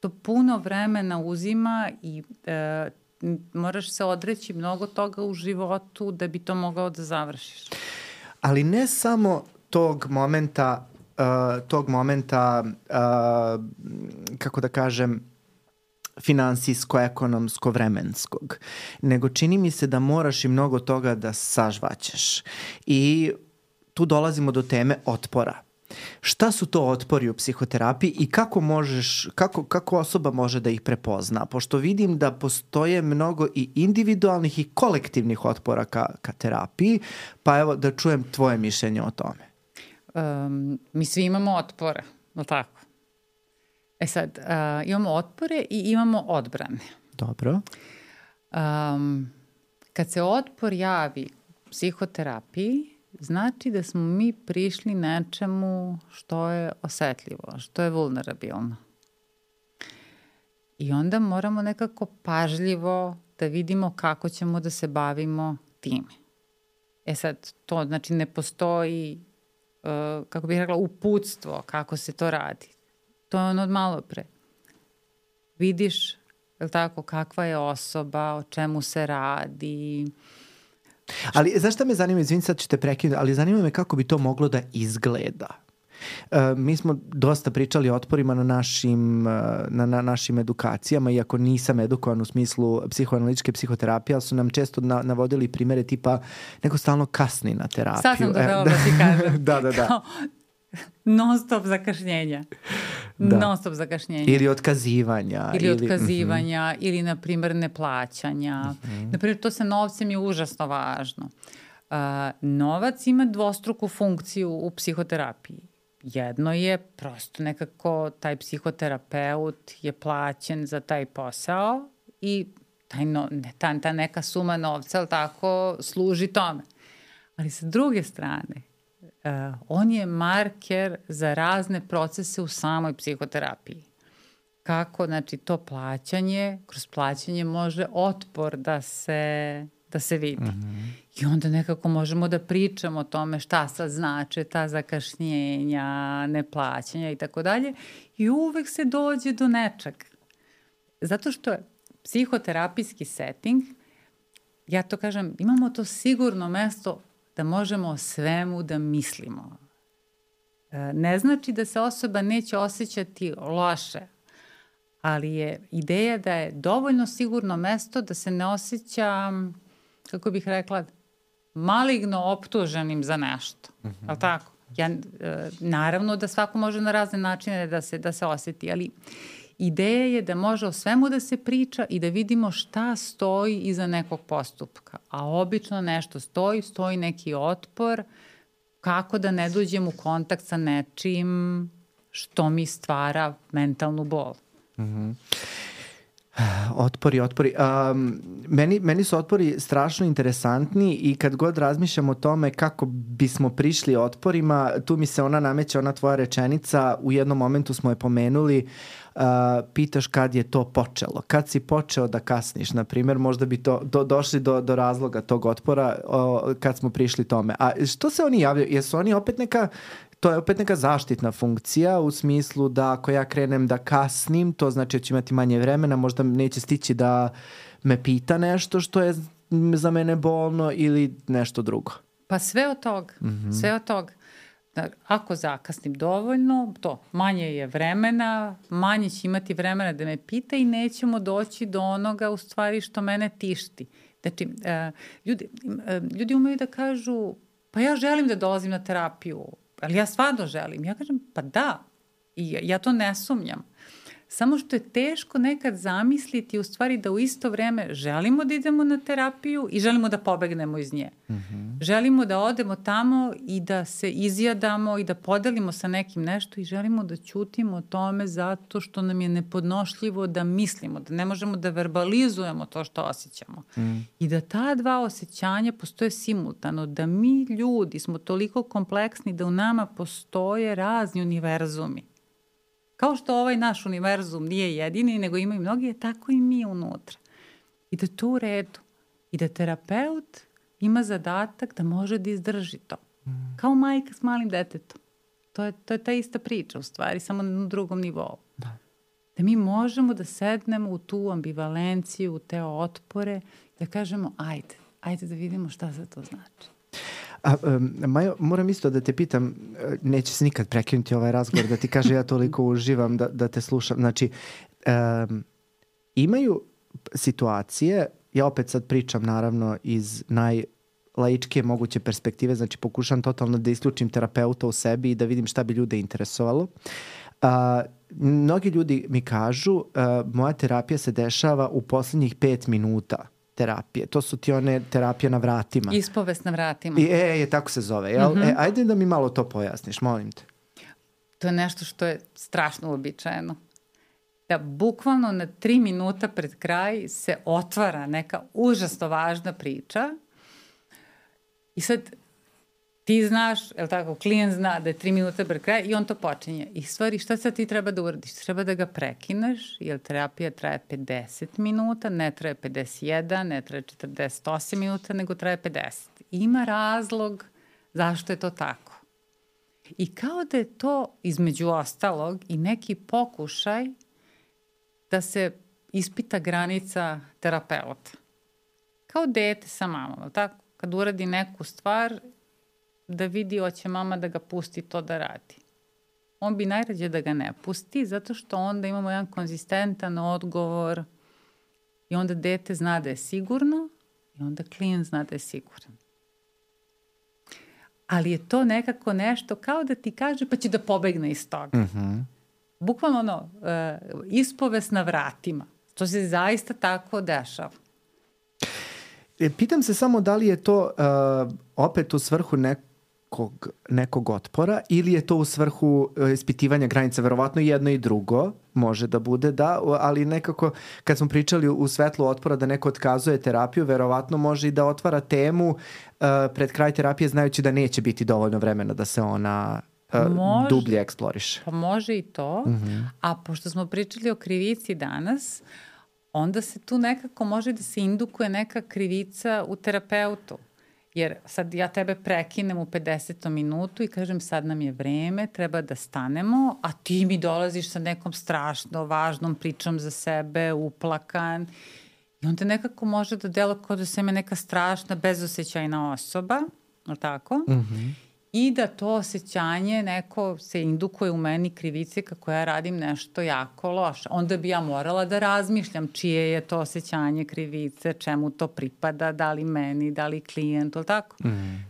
To puno vremena uzima i moraš se odreći mnogo toga u životu da bi to mogao da završiš. Ali ne samo tog momenta, kako da kažem, finansijsko-ekonomsko-vremenskog, nego čini mi se da moraš i mnogo toga da sažvaćeš. I tu dolazimo do teme otpora. Šta su to otpori u psihoterapiji i kako osoba može da ih prepozna? Pošto vidim da postoje mnogo i individualnih i kolektivnih otpora ka terapiji, pa evo da čujem tvoje mišljenje o tome. Mi svi imamo otpore, no tako? Sad, imamo otpore i imamo odbrane. Dobro. Kad se otpor javi u psihoterapiji, znači da smo mi prišli nečemu što je osetljivo, što je vulnerabilno. I onda moramo nekako pažljivo da vidimo kako ćemo da se bavimo time. Sad, to znači ne postoji, kako bih rekla, uputstvo kako se to radi. To je ono od malo pre. Vidiš, je li tako, kakva je osoba, o čemu se radi. Ali znaš šta me zanima, izvini sad ću te prekinuti, ali zanima me kako bi to moglo da izgleda. Mi smo dosta pričali o otporima na našim edukacijama, iako nisam edukovan u smislu psihoanalitičke psihoterapije, ali su nam često navodili primere tipa neko stalno kasni na terapiju. Sad sam to htela da ti kažem. Da. Non stop zakašnjenja. Da. Non stop zakašnjenja. Ili otkazivanja. Ili na primjer neplaćanja. Na primjer, to sa novcem je užasno važno. Novac ima dvostruku funkciju u psihoterapiji. Jedno je prosto nekako taj psihoterapeut je plaćen za taj posao i ta neka suma novca, ali tako, služi tome. Ali sa druge strane, on je marker za razne procese u samoj psihoterapiji. Kako, znači, to plaćanje, kroz plaćanje može otpor da se vidi. I onda nekako možemo da pričamo o tome šta sad znače ta zakašnjenja, neplaćanja i tako dalje. I uvek se dođe do nečeg. Zato što je psihoterapijski setting, ja to kažem, imamo to sigurno mesto da možemo o svemu da mislimo. Ne znači da se osoba neće osjećati loše, ali je ideja da je dovoljno sigurno mesto da se ne osjeća, kako bih rekla, maligno optuženim za nešto. Ali tako? Naravno da svako može na razne načine da se osjeti, ali ideja je da može o svemu da se priča i da vidimo šta stoji iza nekog postupka. A obično nešto stoji neki otpor, kako da ne dođem u kontakt sa nečim što mi stvara mentalnu bol. Otpori. Meni su otpori strašno interesantni i kad god razmišljam o tome kako bismo prišli otporima, tu mi se nameće ona tvoja rečenica, u jednom momentu smo je pomenuli, pitaš kad je to počelo. Kad si počeo da kasniš, na primjer, možda bi došli do razloga tog otpora kad smo prišli tome. A što se oni javljaju? Jesu oni opet to je opet neka zaštitna funkcija u smislu da ako ja krenem da kasnim, to znači da ću imati manje vremena, možda neće stići da me pita nešto što je za mene bolno ili nešto drugo. Pa sve od toga. Sve od toga. Ako zakasnim dovoljno, manje je vremena, manje će imati vremena da me pita i nećemo doći do onoga u stvari što mene tišti. Znači, ljudi umeju da kažu, pa ja želim da dolazim na terapiju, ali ja stvarno želim. Ja kažem, pa da, i ja to ne sumnjam. Samo što je teško nekad zamisliti u stvari da u isto vreme želimo da idemo na terapiju i želimo da pobegnemo iz nje. Želimo da odemo tamo i da se izjadamo i da podelimo sa nekim nešto i želimo da ćutimo o tome zato što nam je nepodnošljivo da mislimo, da ne možemo da verbalizujemo to što osjećamo. I da ta dva osjećanja postoje simultano, da mi ljudi smo toliko kompleksni da u nama postoje razni univerzumi. Kao što ovaj naš univerzum nije jedini, nego ima i mnogi, tako i mi unutra. I da to u redu. I da terapeut ima zadatak da može da izdrži to. Kao majka s malim detetom. To je ta ista priča u stvari, samo na drugom nivou. Da mi možemo da sednemo u tu ambivalenciju, u te otpore, da kažemo ajde da vidimo šta za to znači. Majo, moram isto da te pitam, neće se nikad prekinuti ovaj razgovor, da ti kaže ja toliko uživam da te slušam. Znači, imaju situacije, ja opet sad pričam naravno iz najlaičkije moguće perspektive, znači pokušam totalno da isključim terapeuta u sebi i da vidim šta bi ljude interesovalo. Mnogi ljudi mi kažu, moja terapija se dešava u poslednjih 5 minuta terapije. To su ti one terapije na vratima. Ispovest na vratima. Tako se zove. Jel? Ajde da mi malo to pojasniš, molim te. To je nešto što je strašno uobičajeno. Da bukvalno na 3 minuta pred kraj se otvara neka užasno važna priča i sad ti znaš, je li tako, klijent zna da je 3 minuta pred kraj i on to počinje. I stvari, šta sad ti treba da uradiš? Treba da ga prekineš, jer terapija traje 50 minuta, ne traje 51, ne traje 48 minuta, nego traje 50. Ima razlog zašto je to tako. I kao da je to, između ostalog, i neki pokušaj da se ispita granica terapeuta. Kao dete sa mamom, tako? Kad uradi neku stvar, da vidi hoće mama da ga pusti to da radi. On bi najrađe da ga ne pusti, zato što onda imamo jedan konzistentan odgovor i onda dete zna da je sigurno i onda klijent zna da je siguran. Ali je to nekako nešto kao da ti kaže pa će da pobegne iz toga. Bukvalno ispovest na vratima. To se zaista tako dešava. Pitam se samo da li je to opet u svrhu nekog otpora ili je to u svrhu ispitivanja granica, verovatno jedno i drugo može da bude, da, ali nekako kad smo pričali u svetlu otpora da neko otkazuje terapiju, verovatno može i da otvara temu pred kraj terapije znajući da neće biti dovoljno vremena da se ona dublje eksploriše. Pa može i to, a pošto smo pričali o krivici danas, onda se tu nekako može da se indukuje neka krivica u terapeutu. Jer sad ja tebe prekinem u 50. minutu i kažem sad nam je vreme, treba da stanemo, a ti mi dolaziš sa nekom strašno važnom pričom za sebe, uplakan. I onda nekako može da delo kao da sam je neka strašna, bezosećajna osoba, ali tako? I da to osjećanje neko se indukuje u meni krivice kako ja radim nešto jako loše. Onda bi ja morala da razmišljam čije je to osjećanje krivice, čemu to pripada, da li meni, da li klijentu, ali tako?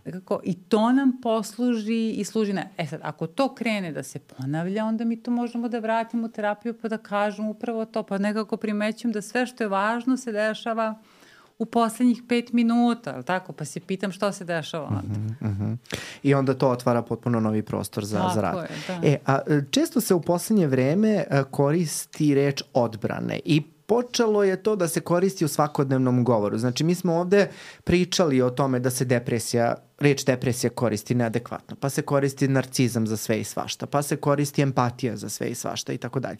Dakako, i to nam posluži i služi na... sad, ako to krene da se ponavlja, onda mi to možemo da vratimo u terapiju pa da kažemo upravo to, pa nekako primećujem da sve što je važno se dešava u poslednjih 5 minuta, ali tako? Pa se pitam što se dešava onda. I onda to otvara potpuno novi prostor za rad. Tako je, da. Često se u poslednje vreme koristi reč odbrane i počelo je to da se koristi u svakodnevnom govoru. Znači, mi smo ovde pričali o tome da se reč depresija koristi neadekvatno, pa se koristi narcizam za sve i svašta, pa se koristi empatija za sve i svašta i tako dalje.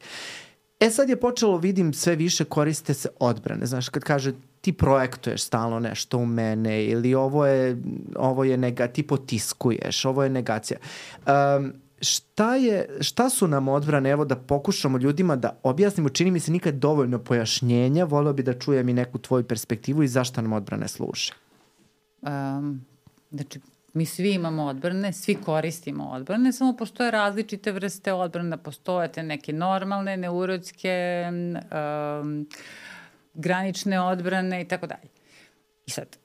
Sad je počelo, vidim, sve više koriste se odbrane. Znaš, kad kaže ti projektuješ stalno nešto u mene ili ovo je ti potiskuješ, ovo je negacija. Šta su nam odbrane? Evo da pokušamo ljudima da objasnimo, čini mi se nikad dovoljno pojašnjenja, voleo bi da čujem i neku tvoju perspektivu i zašto nam odbrane služe. Znači, mi svi imamo odbrane, svi koristimo odbrane, samo postoje različite vrste odbrana, postoje te neke normalne, neurotske, granične odbrane i tako dalje. I sad,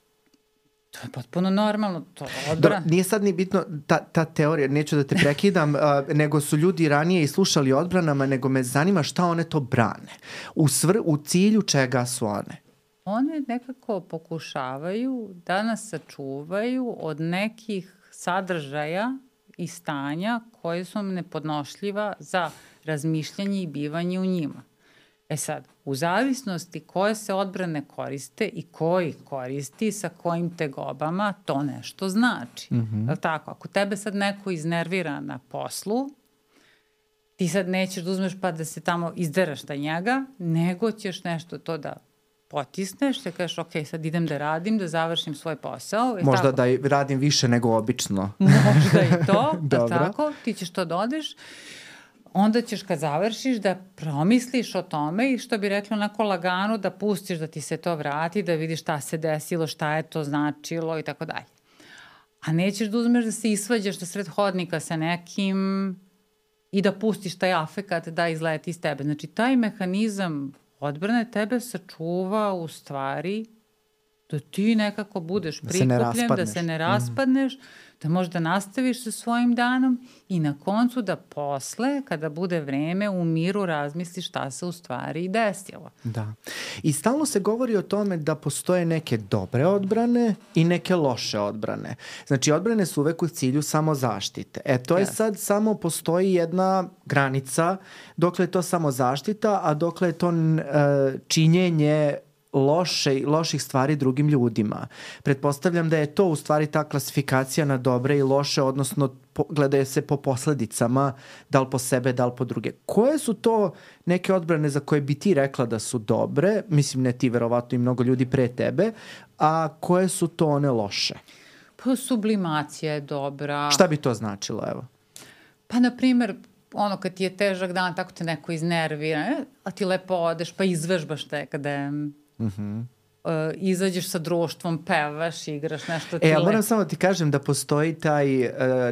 To je potpuno normalno, to je odbrana. Nije sad ni bitno ta teorija, neću da te prekidam, nego su ljudi ranije i slušali o odbranama, nego me zanima šta one to brane. U cilju čega su one? One nekako pokušavaju da nas sačuvaju od nekih sadržaja i stanja koje su nepodnošljiva za razmišljanje i bivanje u njima. E sad, u zavisnosti koje se odbrane koriste i koji koristi sa kojim tegobama, to nešto znači. Je tako? Ako tebe sad neko iznervira na poslu, ti sad nećeš da uzmeš pa da se tamo izderaš na njega, nego ćeš nešto to da potisneš, da kažeš ok, sad idem da radim, da završim svoj posao. Možda tako? Da radim više nego obično. Možda i to, da tako, ti ćeš to da odeš. Onda ćeš kad završiš da promisliš o tome i što bi rekla onako lagano da pustiš da ti se to vrati, da vidiš šta se desilo, šta je to značilo i tako dalje. A nećeš da uzmeš da se isvađaš na sred hodnika sa nekim i da pustiš taj afekat da izleti iz tebe. Znači taj mehanizam odbrane tebe sačuva u stvari da ti nekako budeš prikupljen, da se ne raspadneš, da možeš da nastaviš sa svojim danom i na koncu da posle, kada bude vreme, u miru razmisliš šta se u stvari desilo. Da. I stalno se govori o tome da postoje neke dobre odbrane i neke loše odbrane. Znači, odbrane su uvek u cilju samozaštite. To je sad samo postoji jedna granica dokle je to samozaštita, a dokle je to činjenje loših stvari drugim ljudima. Pretpostavljam da je to u stvari ta klasifikacija na dobre i loše, odnosno gledaju se po posledicama, da li po sebe, da li po druge. Koje su to neke odbrane za koje bi ti rekla da su dobre, mislim ne ti, verovatno i mnogo ljudi pre tebe, a koje su to one loše? Pa sublimacija je dobra. Šta bi to značilo, evo? Pa, na primer, ono kad ti je težak dan, tako te neko iznervira, a ti lepo odeš, pa izvežbaš nekada. Izađeš sa društvom, pevaš, igraš nešto. Ja moram samo ti kažem da postoji taj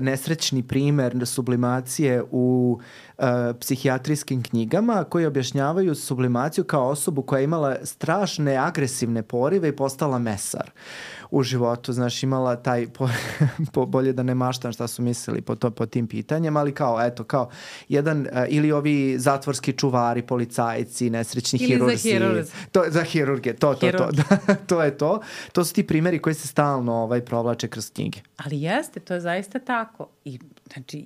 nesrećni primer sublimacije u psihijatrijskim knjigama koji objašnjavaju sublimaciju kao osobu koja je imala strašne agresivne porive i postala mesar u životu, znaš, imala taj bolje da ne maštam šta su mislili po tim pitanjem, ali kao jedan, ili ovi zatvorski čuvari, policajci, nesrećni hirurzi. Za hirurge, to je to. To su ti primeri koji se stalno provlače kroz knjige. Ali jeste, to je zaista tako. I, znači,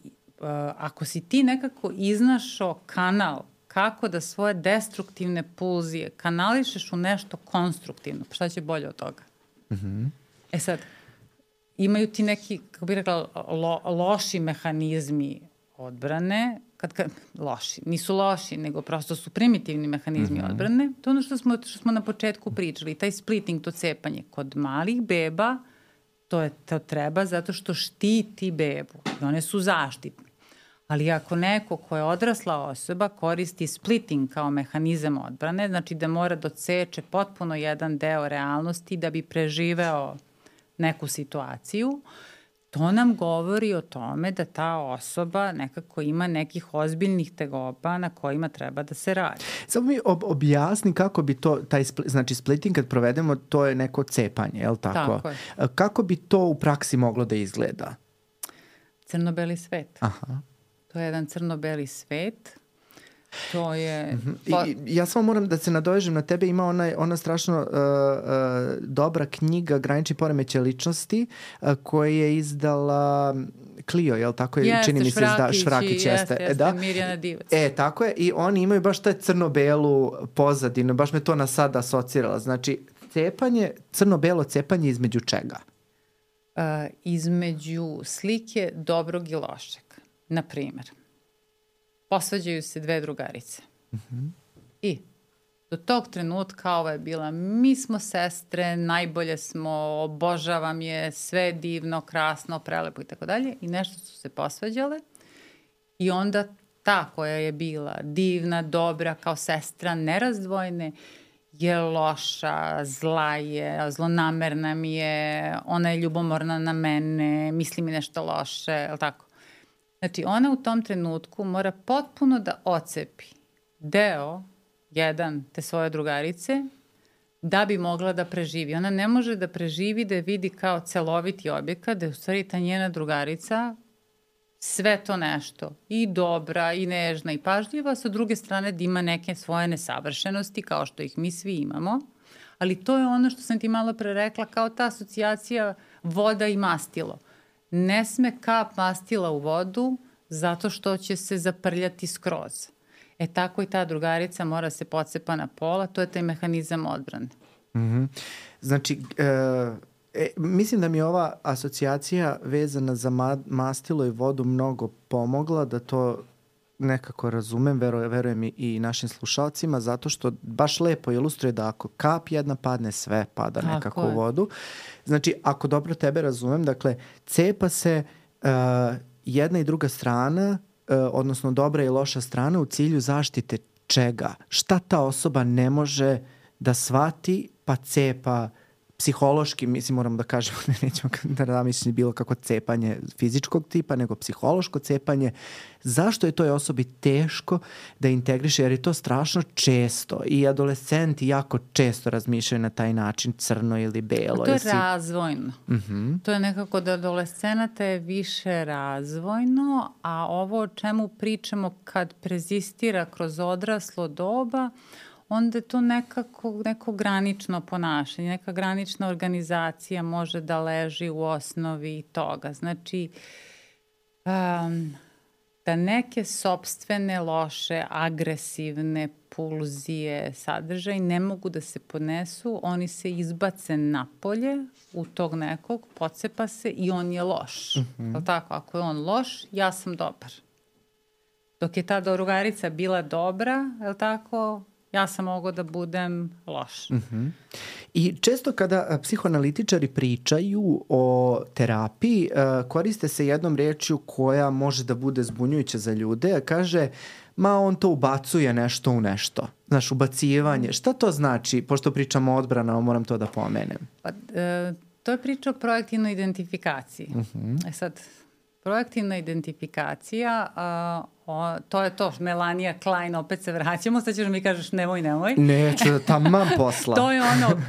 ako si ti nekako iznašao kanal kako da svoje destruktivne pulzije kanališeš u nešto konstruktivno, pa šta će bolje od toga? Sad, imaju ti neki, kako bih rekla, loši mehanizmi odbrane, loši, nisu loši, nego prosto su primitivni mehanizmi odbrane. To je ono što smo na početku pričali, taj splitting, to cepanje. Kod malih beba to treba zato što štiti bebu i one su zaštitne. Ali ako neko ko je odrasla osoba koristi splitting kao mehanizam odbrane, znači da mora da odseče potpuno jedan deo realnosti da bi preživeo neku situaciju, to nam govori o tome da ta osoba nekako ima nekih ozbiljnih tegoba na kojima treba da se radi. Samo mi objasni kako bi to, znači splitting kad provedemo, to je neko cepanje, je li tako? Tako je. Kako bi to u praksi moglo da izgleda? Crno-beli svet. Aha. To je jedan crno-beli svet. To je... Ja samo moram da se nadovežem na tebe, ima ona strašno dobra knjiga Granični poremećaj ličnosti koju je izdala Clio, jel tako? Čini mi se Švrakić jeste. Mirjana Divac. Tako je, i oni imaju baš taj crno-belu pozadinu, baš me to na sad asocirala. Znači, crno-belo cepanje između čega? Između slike dobrog i lošeg. Na primer, posvađaju se dve drugarice. I do tog trenutka ova je bila, mi smo sestre, najbolje smo, obožavam je, sve divno, krasno, prelepo i tako dalje. I nešto su se posvađale i onda ta koja je bila divna, dobra, kao sestra, nerazdvojne, je loša, zla je, zlonamerna mi je, ona je ljubomorna na mene, misli mi nešto loše, je li tako? Znači, ona u tom trenutku mora potpuno da ocepi deo, jedan, te svoje drugarice, da bi mogla da preživi. Ona ne može da preživi da je vidi kao celoviti objekat, da je u stvari ta njena drugarica sve to nešto, i dobra, i nežna, i pažljiva, sa druge strane da ima neke svoje nesavršenosti, kao što ih mi svi imamo, ali to je ono što sam ti malo pre rekla, kao ta asocijacija voda i mastilo. Ne sme kap mastila u vodu zato što će se zaprljati skroz. Tako i ta drugarica mora se pocepa na pola, to je taj mehanizam odbrane. Mm-hmm. Znači, mislim da mi je ova asocijacija vezana za mastilo i vodu mnogo pomogla da to nekako razumem, verujem i našim slušalcima, zato što baš lepo ilustruje da ako kap jedna padne, sve pada nekako u vodu. Znači, ako dobro tebe razumem, dakle, cepa se jedna i druga strana, odnosno dobra i loša strana u cilju zaštite čega? Šta ta osoba ne može da shvati, pa cepa psihološki, mislim, moramo da kažemo, nećemo da namišljeni bilo kako cepanje fizičkog tipa, nego psihološko cepanje. Zašto je toj osobi teško da integriše? Jer je to strašno često i adolescenti jako često razmišljaju na taj način, crno ili belo. To je razvojno. Mm-hmm. To je nekako da adolescenata je više razvojno, a ovo o čemu pričamo kad prezistira kroz odraslo doba, onda je to neko granično ponašanje, neka granična organizacija može da leži u osnovi toga. Znači, da neke sopstvene, loše, agresivne pulzije, sadržaj ne mogu da se podnesu, oni se izbace napolje u tog nekog, pocepa se i on je loš. Mm-hmm. Tako, ako je on loš, ja sam dobar. Dok je ta drugarica bila dobra, je li tako, ja sam mogao da budem loš. Mm-hmm. I često kada psihoanalitičari pričaju o terapiji, koriste se jednom rečju koja može da bude zbunjujuća za ljude, a kaže, ma on to ubacuje nešto u nešto. Znaš, ubacivanje. Šta to znači? Pošto pričamo o odbranama, moram to da pomenem. To je priča o projektivnoj identifikaciji. Mm-hmm. Sad, projektivna identifikacija, to je to, Melania Klein, opet se vraćamo, sad ćeš mi kažeš nemoj. Neću, taman posla. To je ono,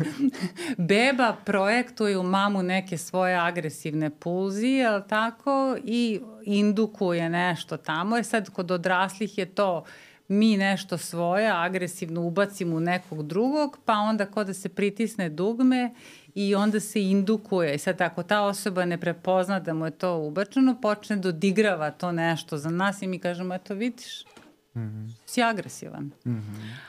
beba projektuje u mamu neke svoje agresivne pulzije, ali tako, i indukuje nešto tamo. Sad, kod odraslih je to mi nešto svoje agresivno ubacimo u nekog drugog, pa onda kod da se pritisne dugme i onda se indukuje. I sad ako ta osoba ne prepozna da mu je to ubačeno, počne da odigrava to nešto za nas i mi kažemo, eto vidiš, si agresivan. Mm-hmm.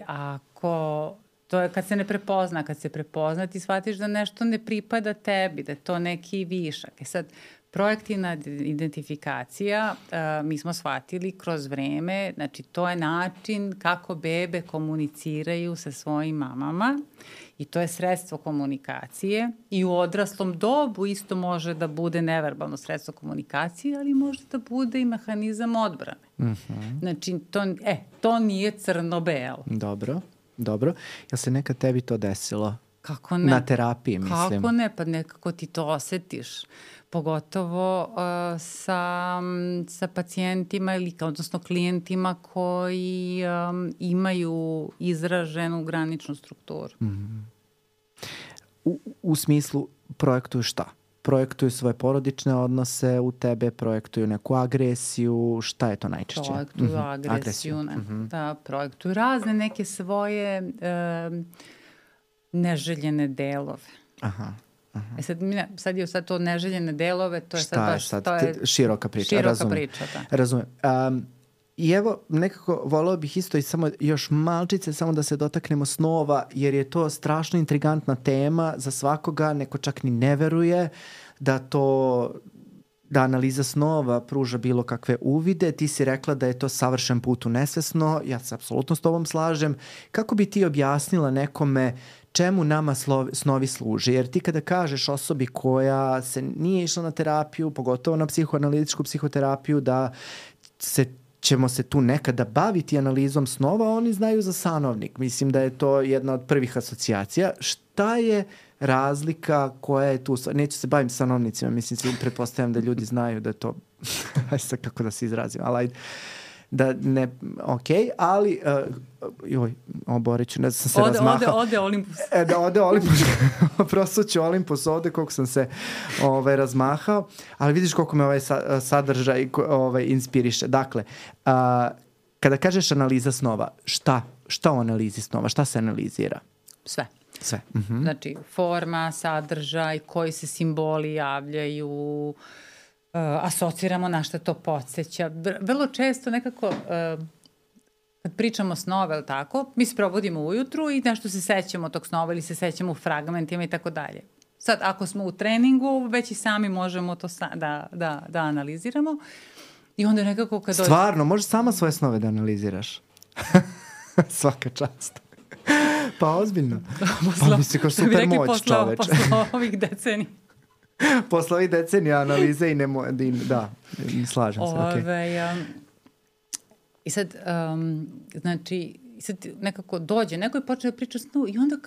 Ako to je kad se ne prepozna, kad se prepozna ti shvatiš da nešto ne pripada tebi, da je to neki višak. Sad, projektivna identifikacija, mi smo shvatili kroz vreme, znači to je način kako bebe komuniciraju sa svojim mamama i to je sredstvo komunikacije i u odraslom dobu isto može da bude neverbalno sredstvo komunikacije, ali može da bude i mehanizam odbrane. Mm-hmm. Znači, to nije crno-belo. Dobro. Jel se nekad tebi to desilo? Kako ne? Na terapiji, mislim. Kako ne? Pa nekako ti to osetiš. Pogotovo sa pacijentima ili odnosno klijentima koji imaju izraženu graničnu strukturu. Mm-hmm. U smislu projektuju šta? Projektuju svoje porodične odnose u tebe, projektuju neku agresiju, šta je to najčešće? Projektuju agresiju. Da, projektuju razne neke svoje neželjene delove. Aha. Sad to neželjene delove, to je šta sad baš... Šta je sad? Široka priča, razumem. Da. Razumem. I evo, nekako voleo bih isto i samo još malčice, samo da se dotaknemo snova, jer je to strašno intrigantna tema za svakoga, neko čak ni ne veruje da analiza snova pruža bilo kakve uvide. Ti si rekla da je to savršen put u nesvesno, ja se apsolutno s tobom slažem. Kako bi ti objasnila nekome čemu nama snovi služe? Jer ti kada kažeš osobi koja se nije išla na terapiju, pogotovo na psihoanalitičku psihoterapiju, da ćemo se tu nekada baviti analizom snova, oni znaju za sanovnik. Mislim da je to jedna od prvih asocijacija. Šta je razlika koja je tu? Neću se baviti sanovnicima, mislim, pretpostavljam da ljudi znaju da je to, ajde sad kako da se izrazim, ali da ne, ali Boriću, ne znam se razmahao. Ode Olimpus. Da ode Olimpus, prosuću Olimpus ovde koliko sam se razmahao, ali vidiš koliko me ovaj sadržaj inspiriše. Dakle, kada kažeš analiza snova, šta u analizi snova, šta se analizira? Sve. Mhm. Znači, forma, sadržaj, koji se simboli javljaju, asociramo na šta to podsjeća. Vrlo često nekako, kad pričamo snove, ili tako, mi se probudimo ujutru i nešto se sećamo tog snova ili se sećamo u fragmentima i tako dalje. Sad, ako smo u treningu, već i sami možemo to da analiziramo i onda nekako kad... Stvarno, možeš sama svoje snove da analiziraš? Svaka čast. Pa ozbiljno. Pa misli kao super moć, čoveče. Posle ovih decenija. Posle ovih decenija analize i da, slažem se. I sad, znači, sad nekako dođe, neko je počeo da priča snu i onda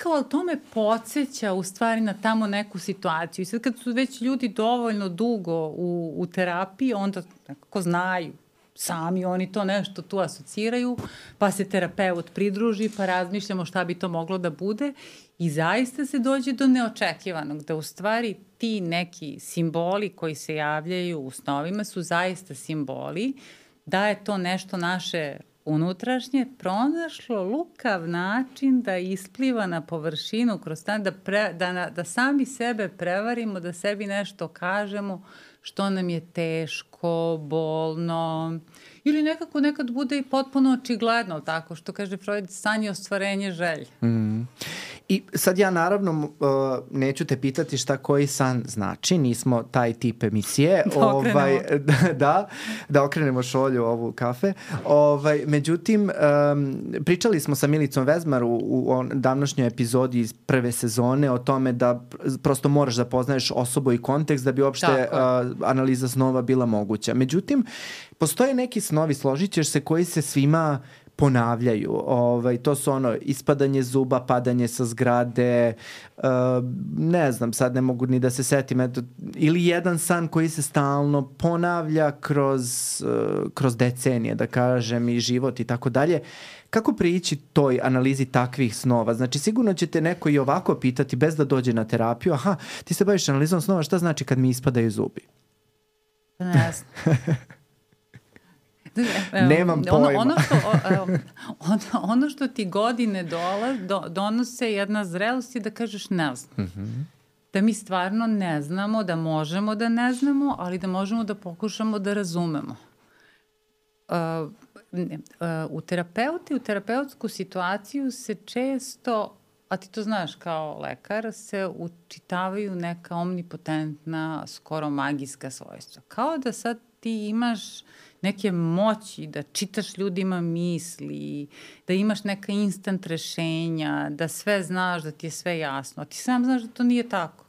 kao to me podsjeća u stvari na tamo neku situaciju. I sad kad su već ljudi dovoljno dugo u terapiji, onda nekako znaju. Sami oni to nešto tu asociraju, pa se terapeut pridruži, pa razmišljamo šta bi to moglo da bude i zaista se dođe do neočekivanog, da u stvari ti neki simboli koji se javljaju u snovima su zaista simboli, da je to nešto naše unutrašnje pronašlo lukav način da ispliva na površinu kroz stan, da sami sebe prevarimo, da sebi nešto kažemo što nam je teško, bolno ili nekako nekad bude i potpuno očigledno, tako što kaže Freud, san je ostvarenje želje. I sad ja naravno neću te pitati šta koji san znači, nismo taj tip emisije. Da okrenemo šolju ovu kafe. Međutim, pričali smo sa Milicom Vezmar u davnošnjoj epizodi iz prve sezone o tome da prosto moraš da poznaješ osobu i kontekst da bi uopšte analiza snova bila moguća. Međutim, postoje neki snovi, složit ćeš se, koji se svima ponavljaju. To su ispadanje zuba, padanje sa zgrade, ne znam, sad ne mogu ni da se setim, ili jedan san koji se stalno ponavlja kroz decenije, da kažem, i život i tako dalje. Kako prići toj analizi takvih snova? Znači, sigurno će te neko i ovako pitati bez da dođe na terapiju, ti se baviš analizom snova, šta znači kad mi ispadaju zubi? Ne znam. Nemam pojma. Ono što ti godine donose jedna zrelost je da kažeš ne znam. Da mi stvarno ne znamo, da možemo da ne znamo, ali da možemo da pokušamo da razumemo. U terapeutsku situaciju se često, a ti to znaš kao lekar, se učitavaju neka omnipotentna, skoro magijska svojstva. Kao da sad ti imaš neke moći, da čitaš ljudima misli, da imaš neka instant rešenja, da sve znaš, da ti je sve jasno. A ti sam znaš da to nije tako.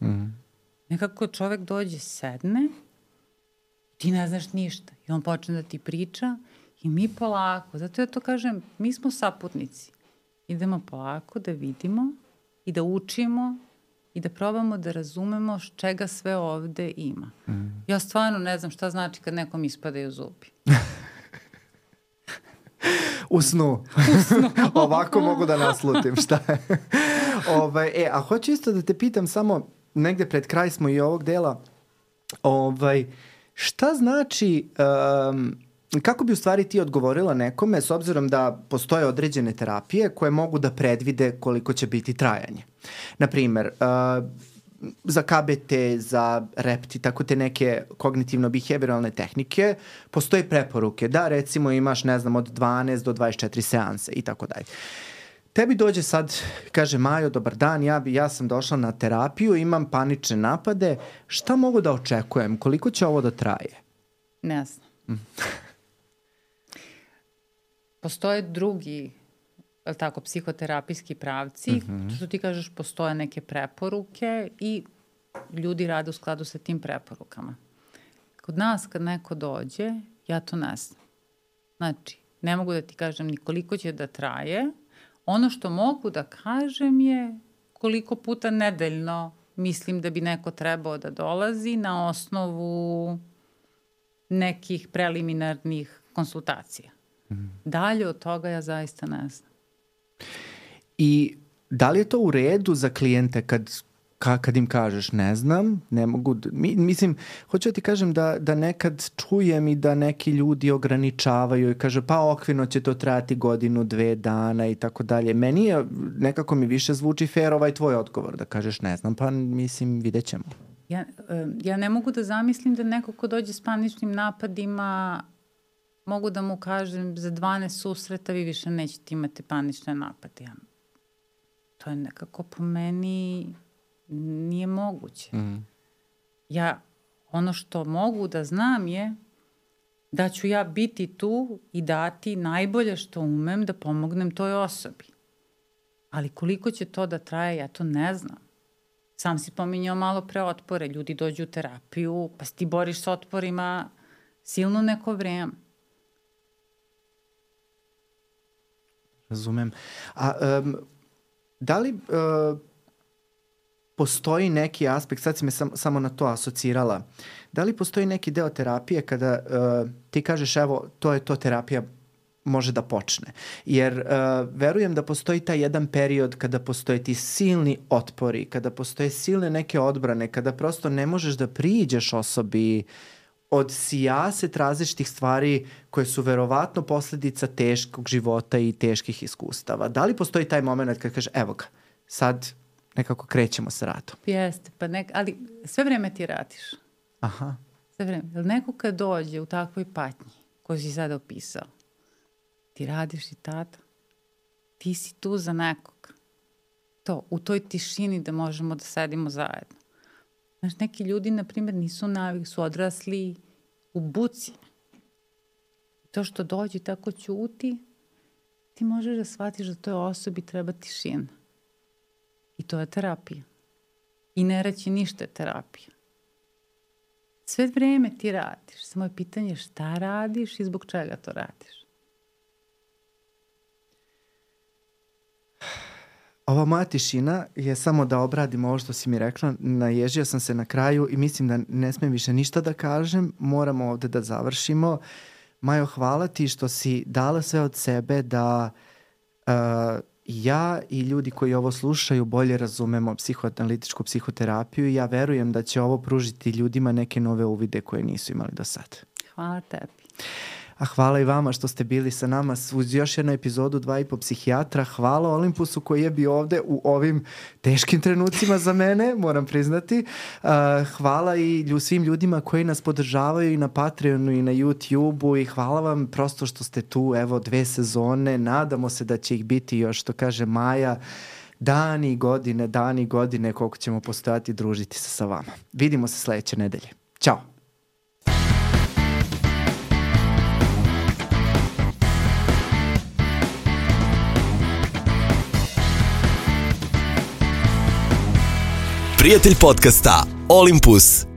Nekako čovek dođe, sedne, ti ne znaš ništa. I on počne da ti priča i mi polako, zato ja to kažem, mi smo saputnici. Idemo polako da vidimo i da učimo i da probamo da razumemo čega sve ovde ima. Ja stvarno ne znam šta znači kad nekom ispadaju zubi. U snu. Ovako mogu da naslutim šta je. A hoću isto da te pitam samo, negde pred kraj smo i ovog dela, šta znači... Kako bi u stvari ti odgovorila nekome s obzirom da postoje određene terapije koje mogu da predvide koliko će biti trajanje? Naprimer, za KBT, za REPT i tako te neke kognitivno-behavioralne tehnike postoje preporuke da recimo imaš, ne znam, od 12 do 24 seanse i tako dalje. Tebi dođe sad, kaže Majo, dobar dan, ja sam došla na terapiju, imam panične napade, šta mogu da očekujem, koliko će ovo da traje? Ne znam. Postoje drugi, tako, psihoterapijski pravci, što ti kažeš, postoje neke preporuke i ljudi rade u skladu sa tim preporukama. Kod nas kad neko dođe, ja to ne znam. Znači, ne mogu da ti kažem ni koliko će da traje. Ono što mogu da kažem je koliko puta nedeljno mislim da bi neko trebao da dolazi na osnovu nekih preliminarnih konsultacija. Dalje od toga ja zaista ne znam. I da li je to u redu za klijente kad im kažeš ne znam, ne mogu, mislim, hoću da ti kažem da nekad čujem i da neki ljudi ograničavaju i kaže pa okvirno će to trajati 1-2 dana i tako dalje. Meni je, nekako mi više zvuči fair ovaj tvoj odgovor, da kažeš ne znam, pa mislim vidjet ćemo. Ja ne mogu da zamislim da neko ko dođe s paničnim napadima, mogu da mu kažem za 12 susreta vi više nećete imati panične napade. To je nekako po meni nije moguće. Ja, ono što mogu da znam je da ću ja biti tu i dati najbolje što umem da pomognem toj osobi. Ali koliko će to da traje, ja to ne znam. Sam si pominjao malo pre otpore. Ljudi dođu u terapiju, pa si ti boriš s otporima silno neko vreme. Razumem. A da li postoji neki aspekt, sad si me samo na to asocirala, da li postoji neki deo terapije kada ti kažeš evo to je to terapija može da počne? Jer verujem da postoji taj jedan period kada postoje ti silni otpori, kada postoje silne neke odbrane, kada prosto ne možeš da priđeš osobi od sijaset različitih stvari koje su verovatno posledica teškog života i teških iskustava. Da li postoji taj moment kad kažeš evo ga, sad nekako krećemo sa radom? Jeste, ali sve vreme ti radiš. Aha. Sve vreme. Jer neko kad dođe u takvoj patnji koju si sada opisao, ti radiš i tada. Ti si tu za nekog. To, u toj tišini da možemo da sedimo zajedno. Znaš, neki ljudi, na primjer, nisu navik, su odrasli u buci. To što dođe tako ćuti, ti možeš da shvatiš da toj osobi treba tišina. I to je terapija. I ne reći ništa je terapija. Sve vreme ti radiš. Samo je pitanje šta radiš i zbog čega to radiš. Ova moja tišina je samo da obradim ovo što si mi rekla. Naježio sam se na kraju i mislim da ne smijem više ništa da kažem. Moramo ovde da završimo. Majo, hvala ti što si dala sve od sebe da ja i ljudi koji ovo slušaju bolje razumemo psihoanalitičku psihoterapiju i ja verujem da će ovo pružiti ljudima neke nove uvide koje nisu imali do sad. Hvala tebi. A hvala i vama što ste bili sa nama uz još jednu epizodu 2,5 psihijatra. Hvala Olympusu koji je bio ovde u ovim teškim trenucima za mene, moram priznati. Hvala i svim ljudima koji nas podržavaju i na Patreonu i na YouTubeu i hvala vam prosto što ste tu, evo 2 sezone. Nadamo se da će ih biti još, što kaže Maja, dani i godine koliko ćemo postojati i družiti se sa vama. Vidimo se sledeće nedelje. Ćao! Prijatelj podcasta Olympus.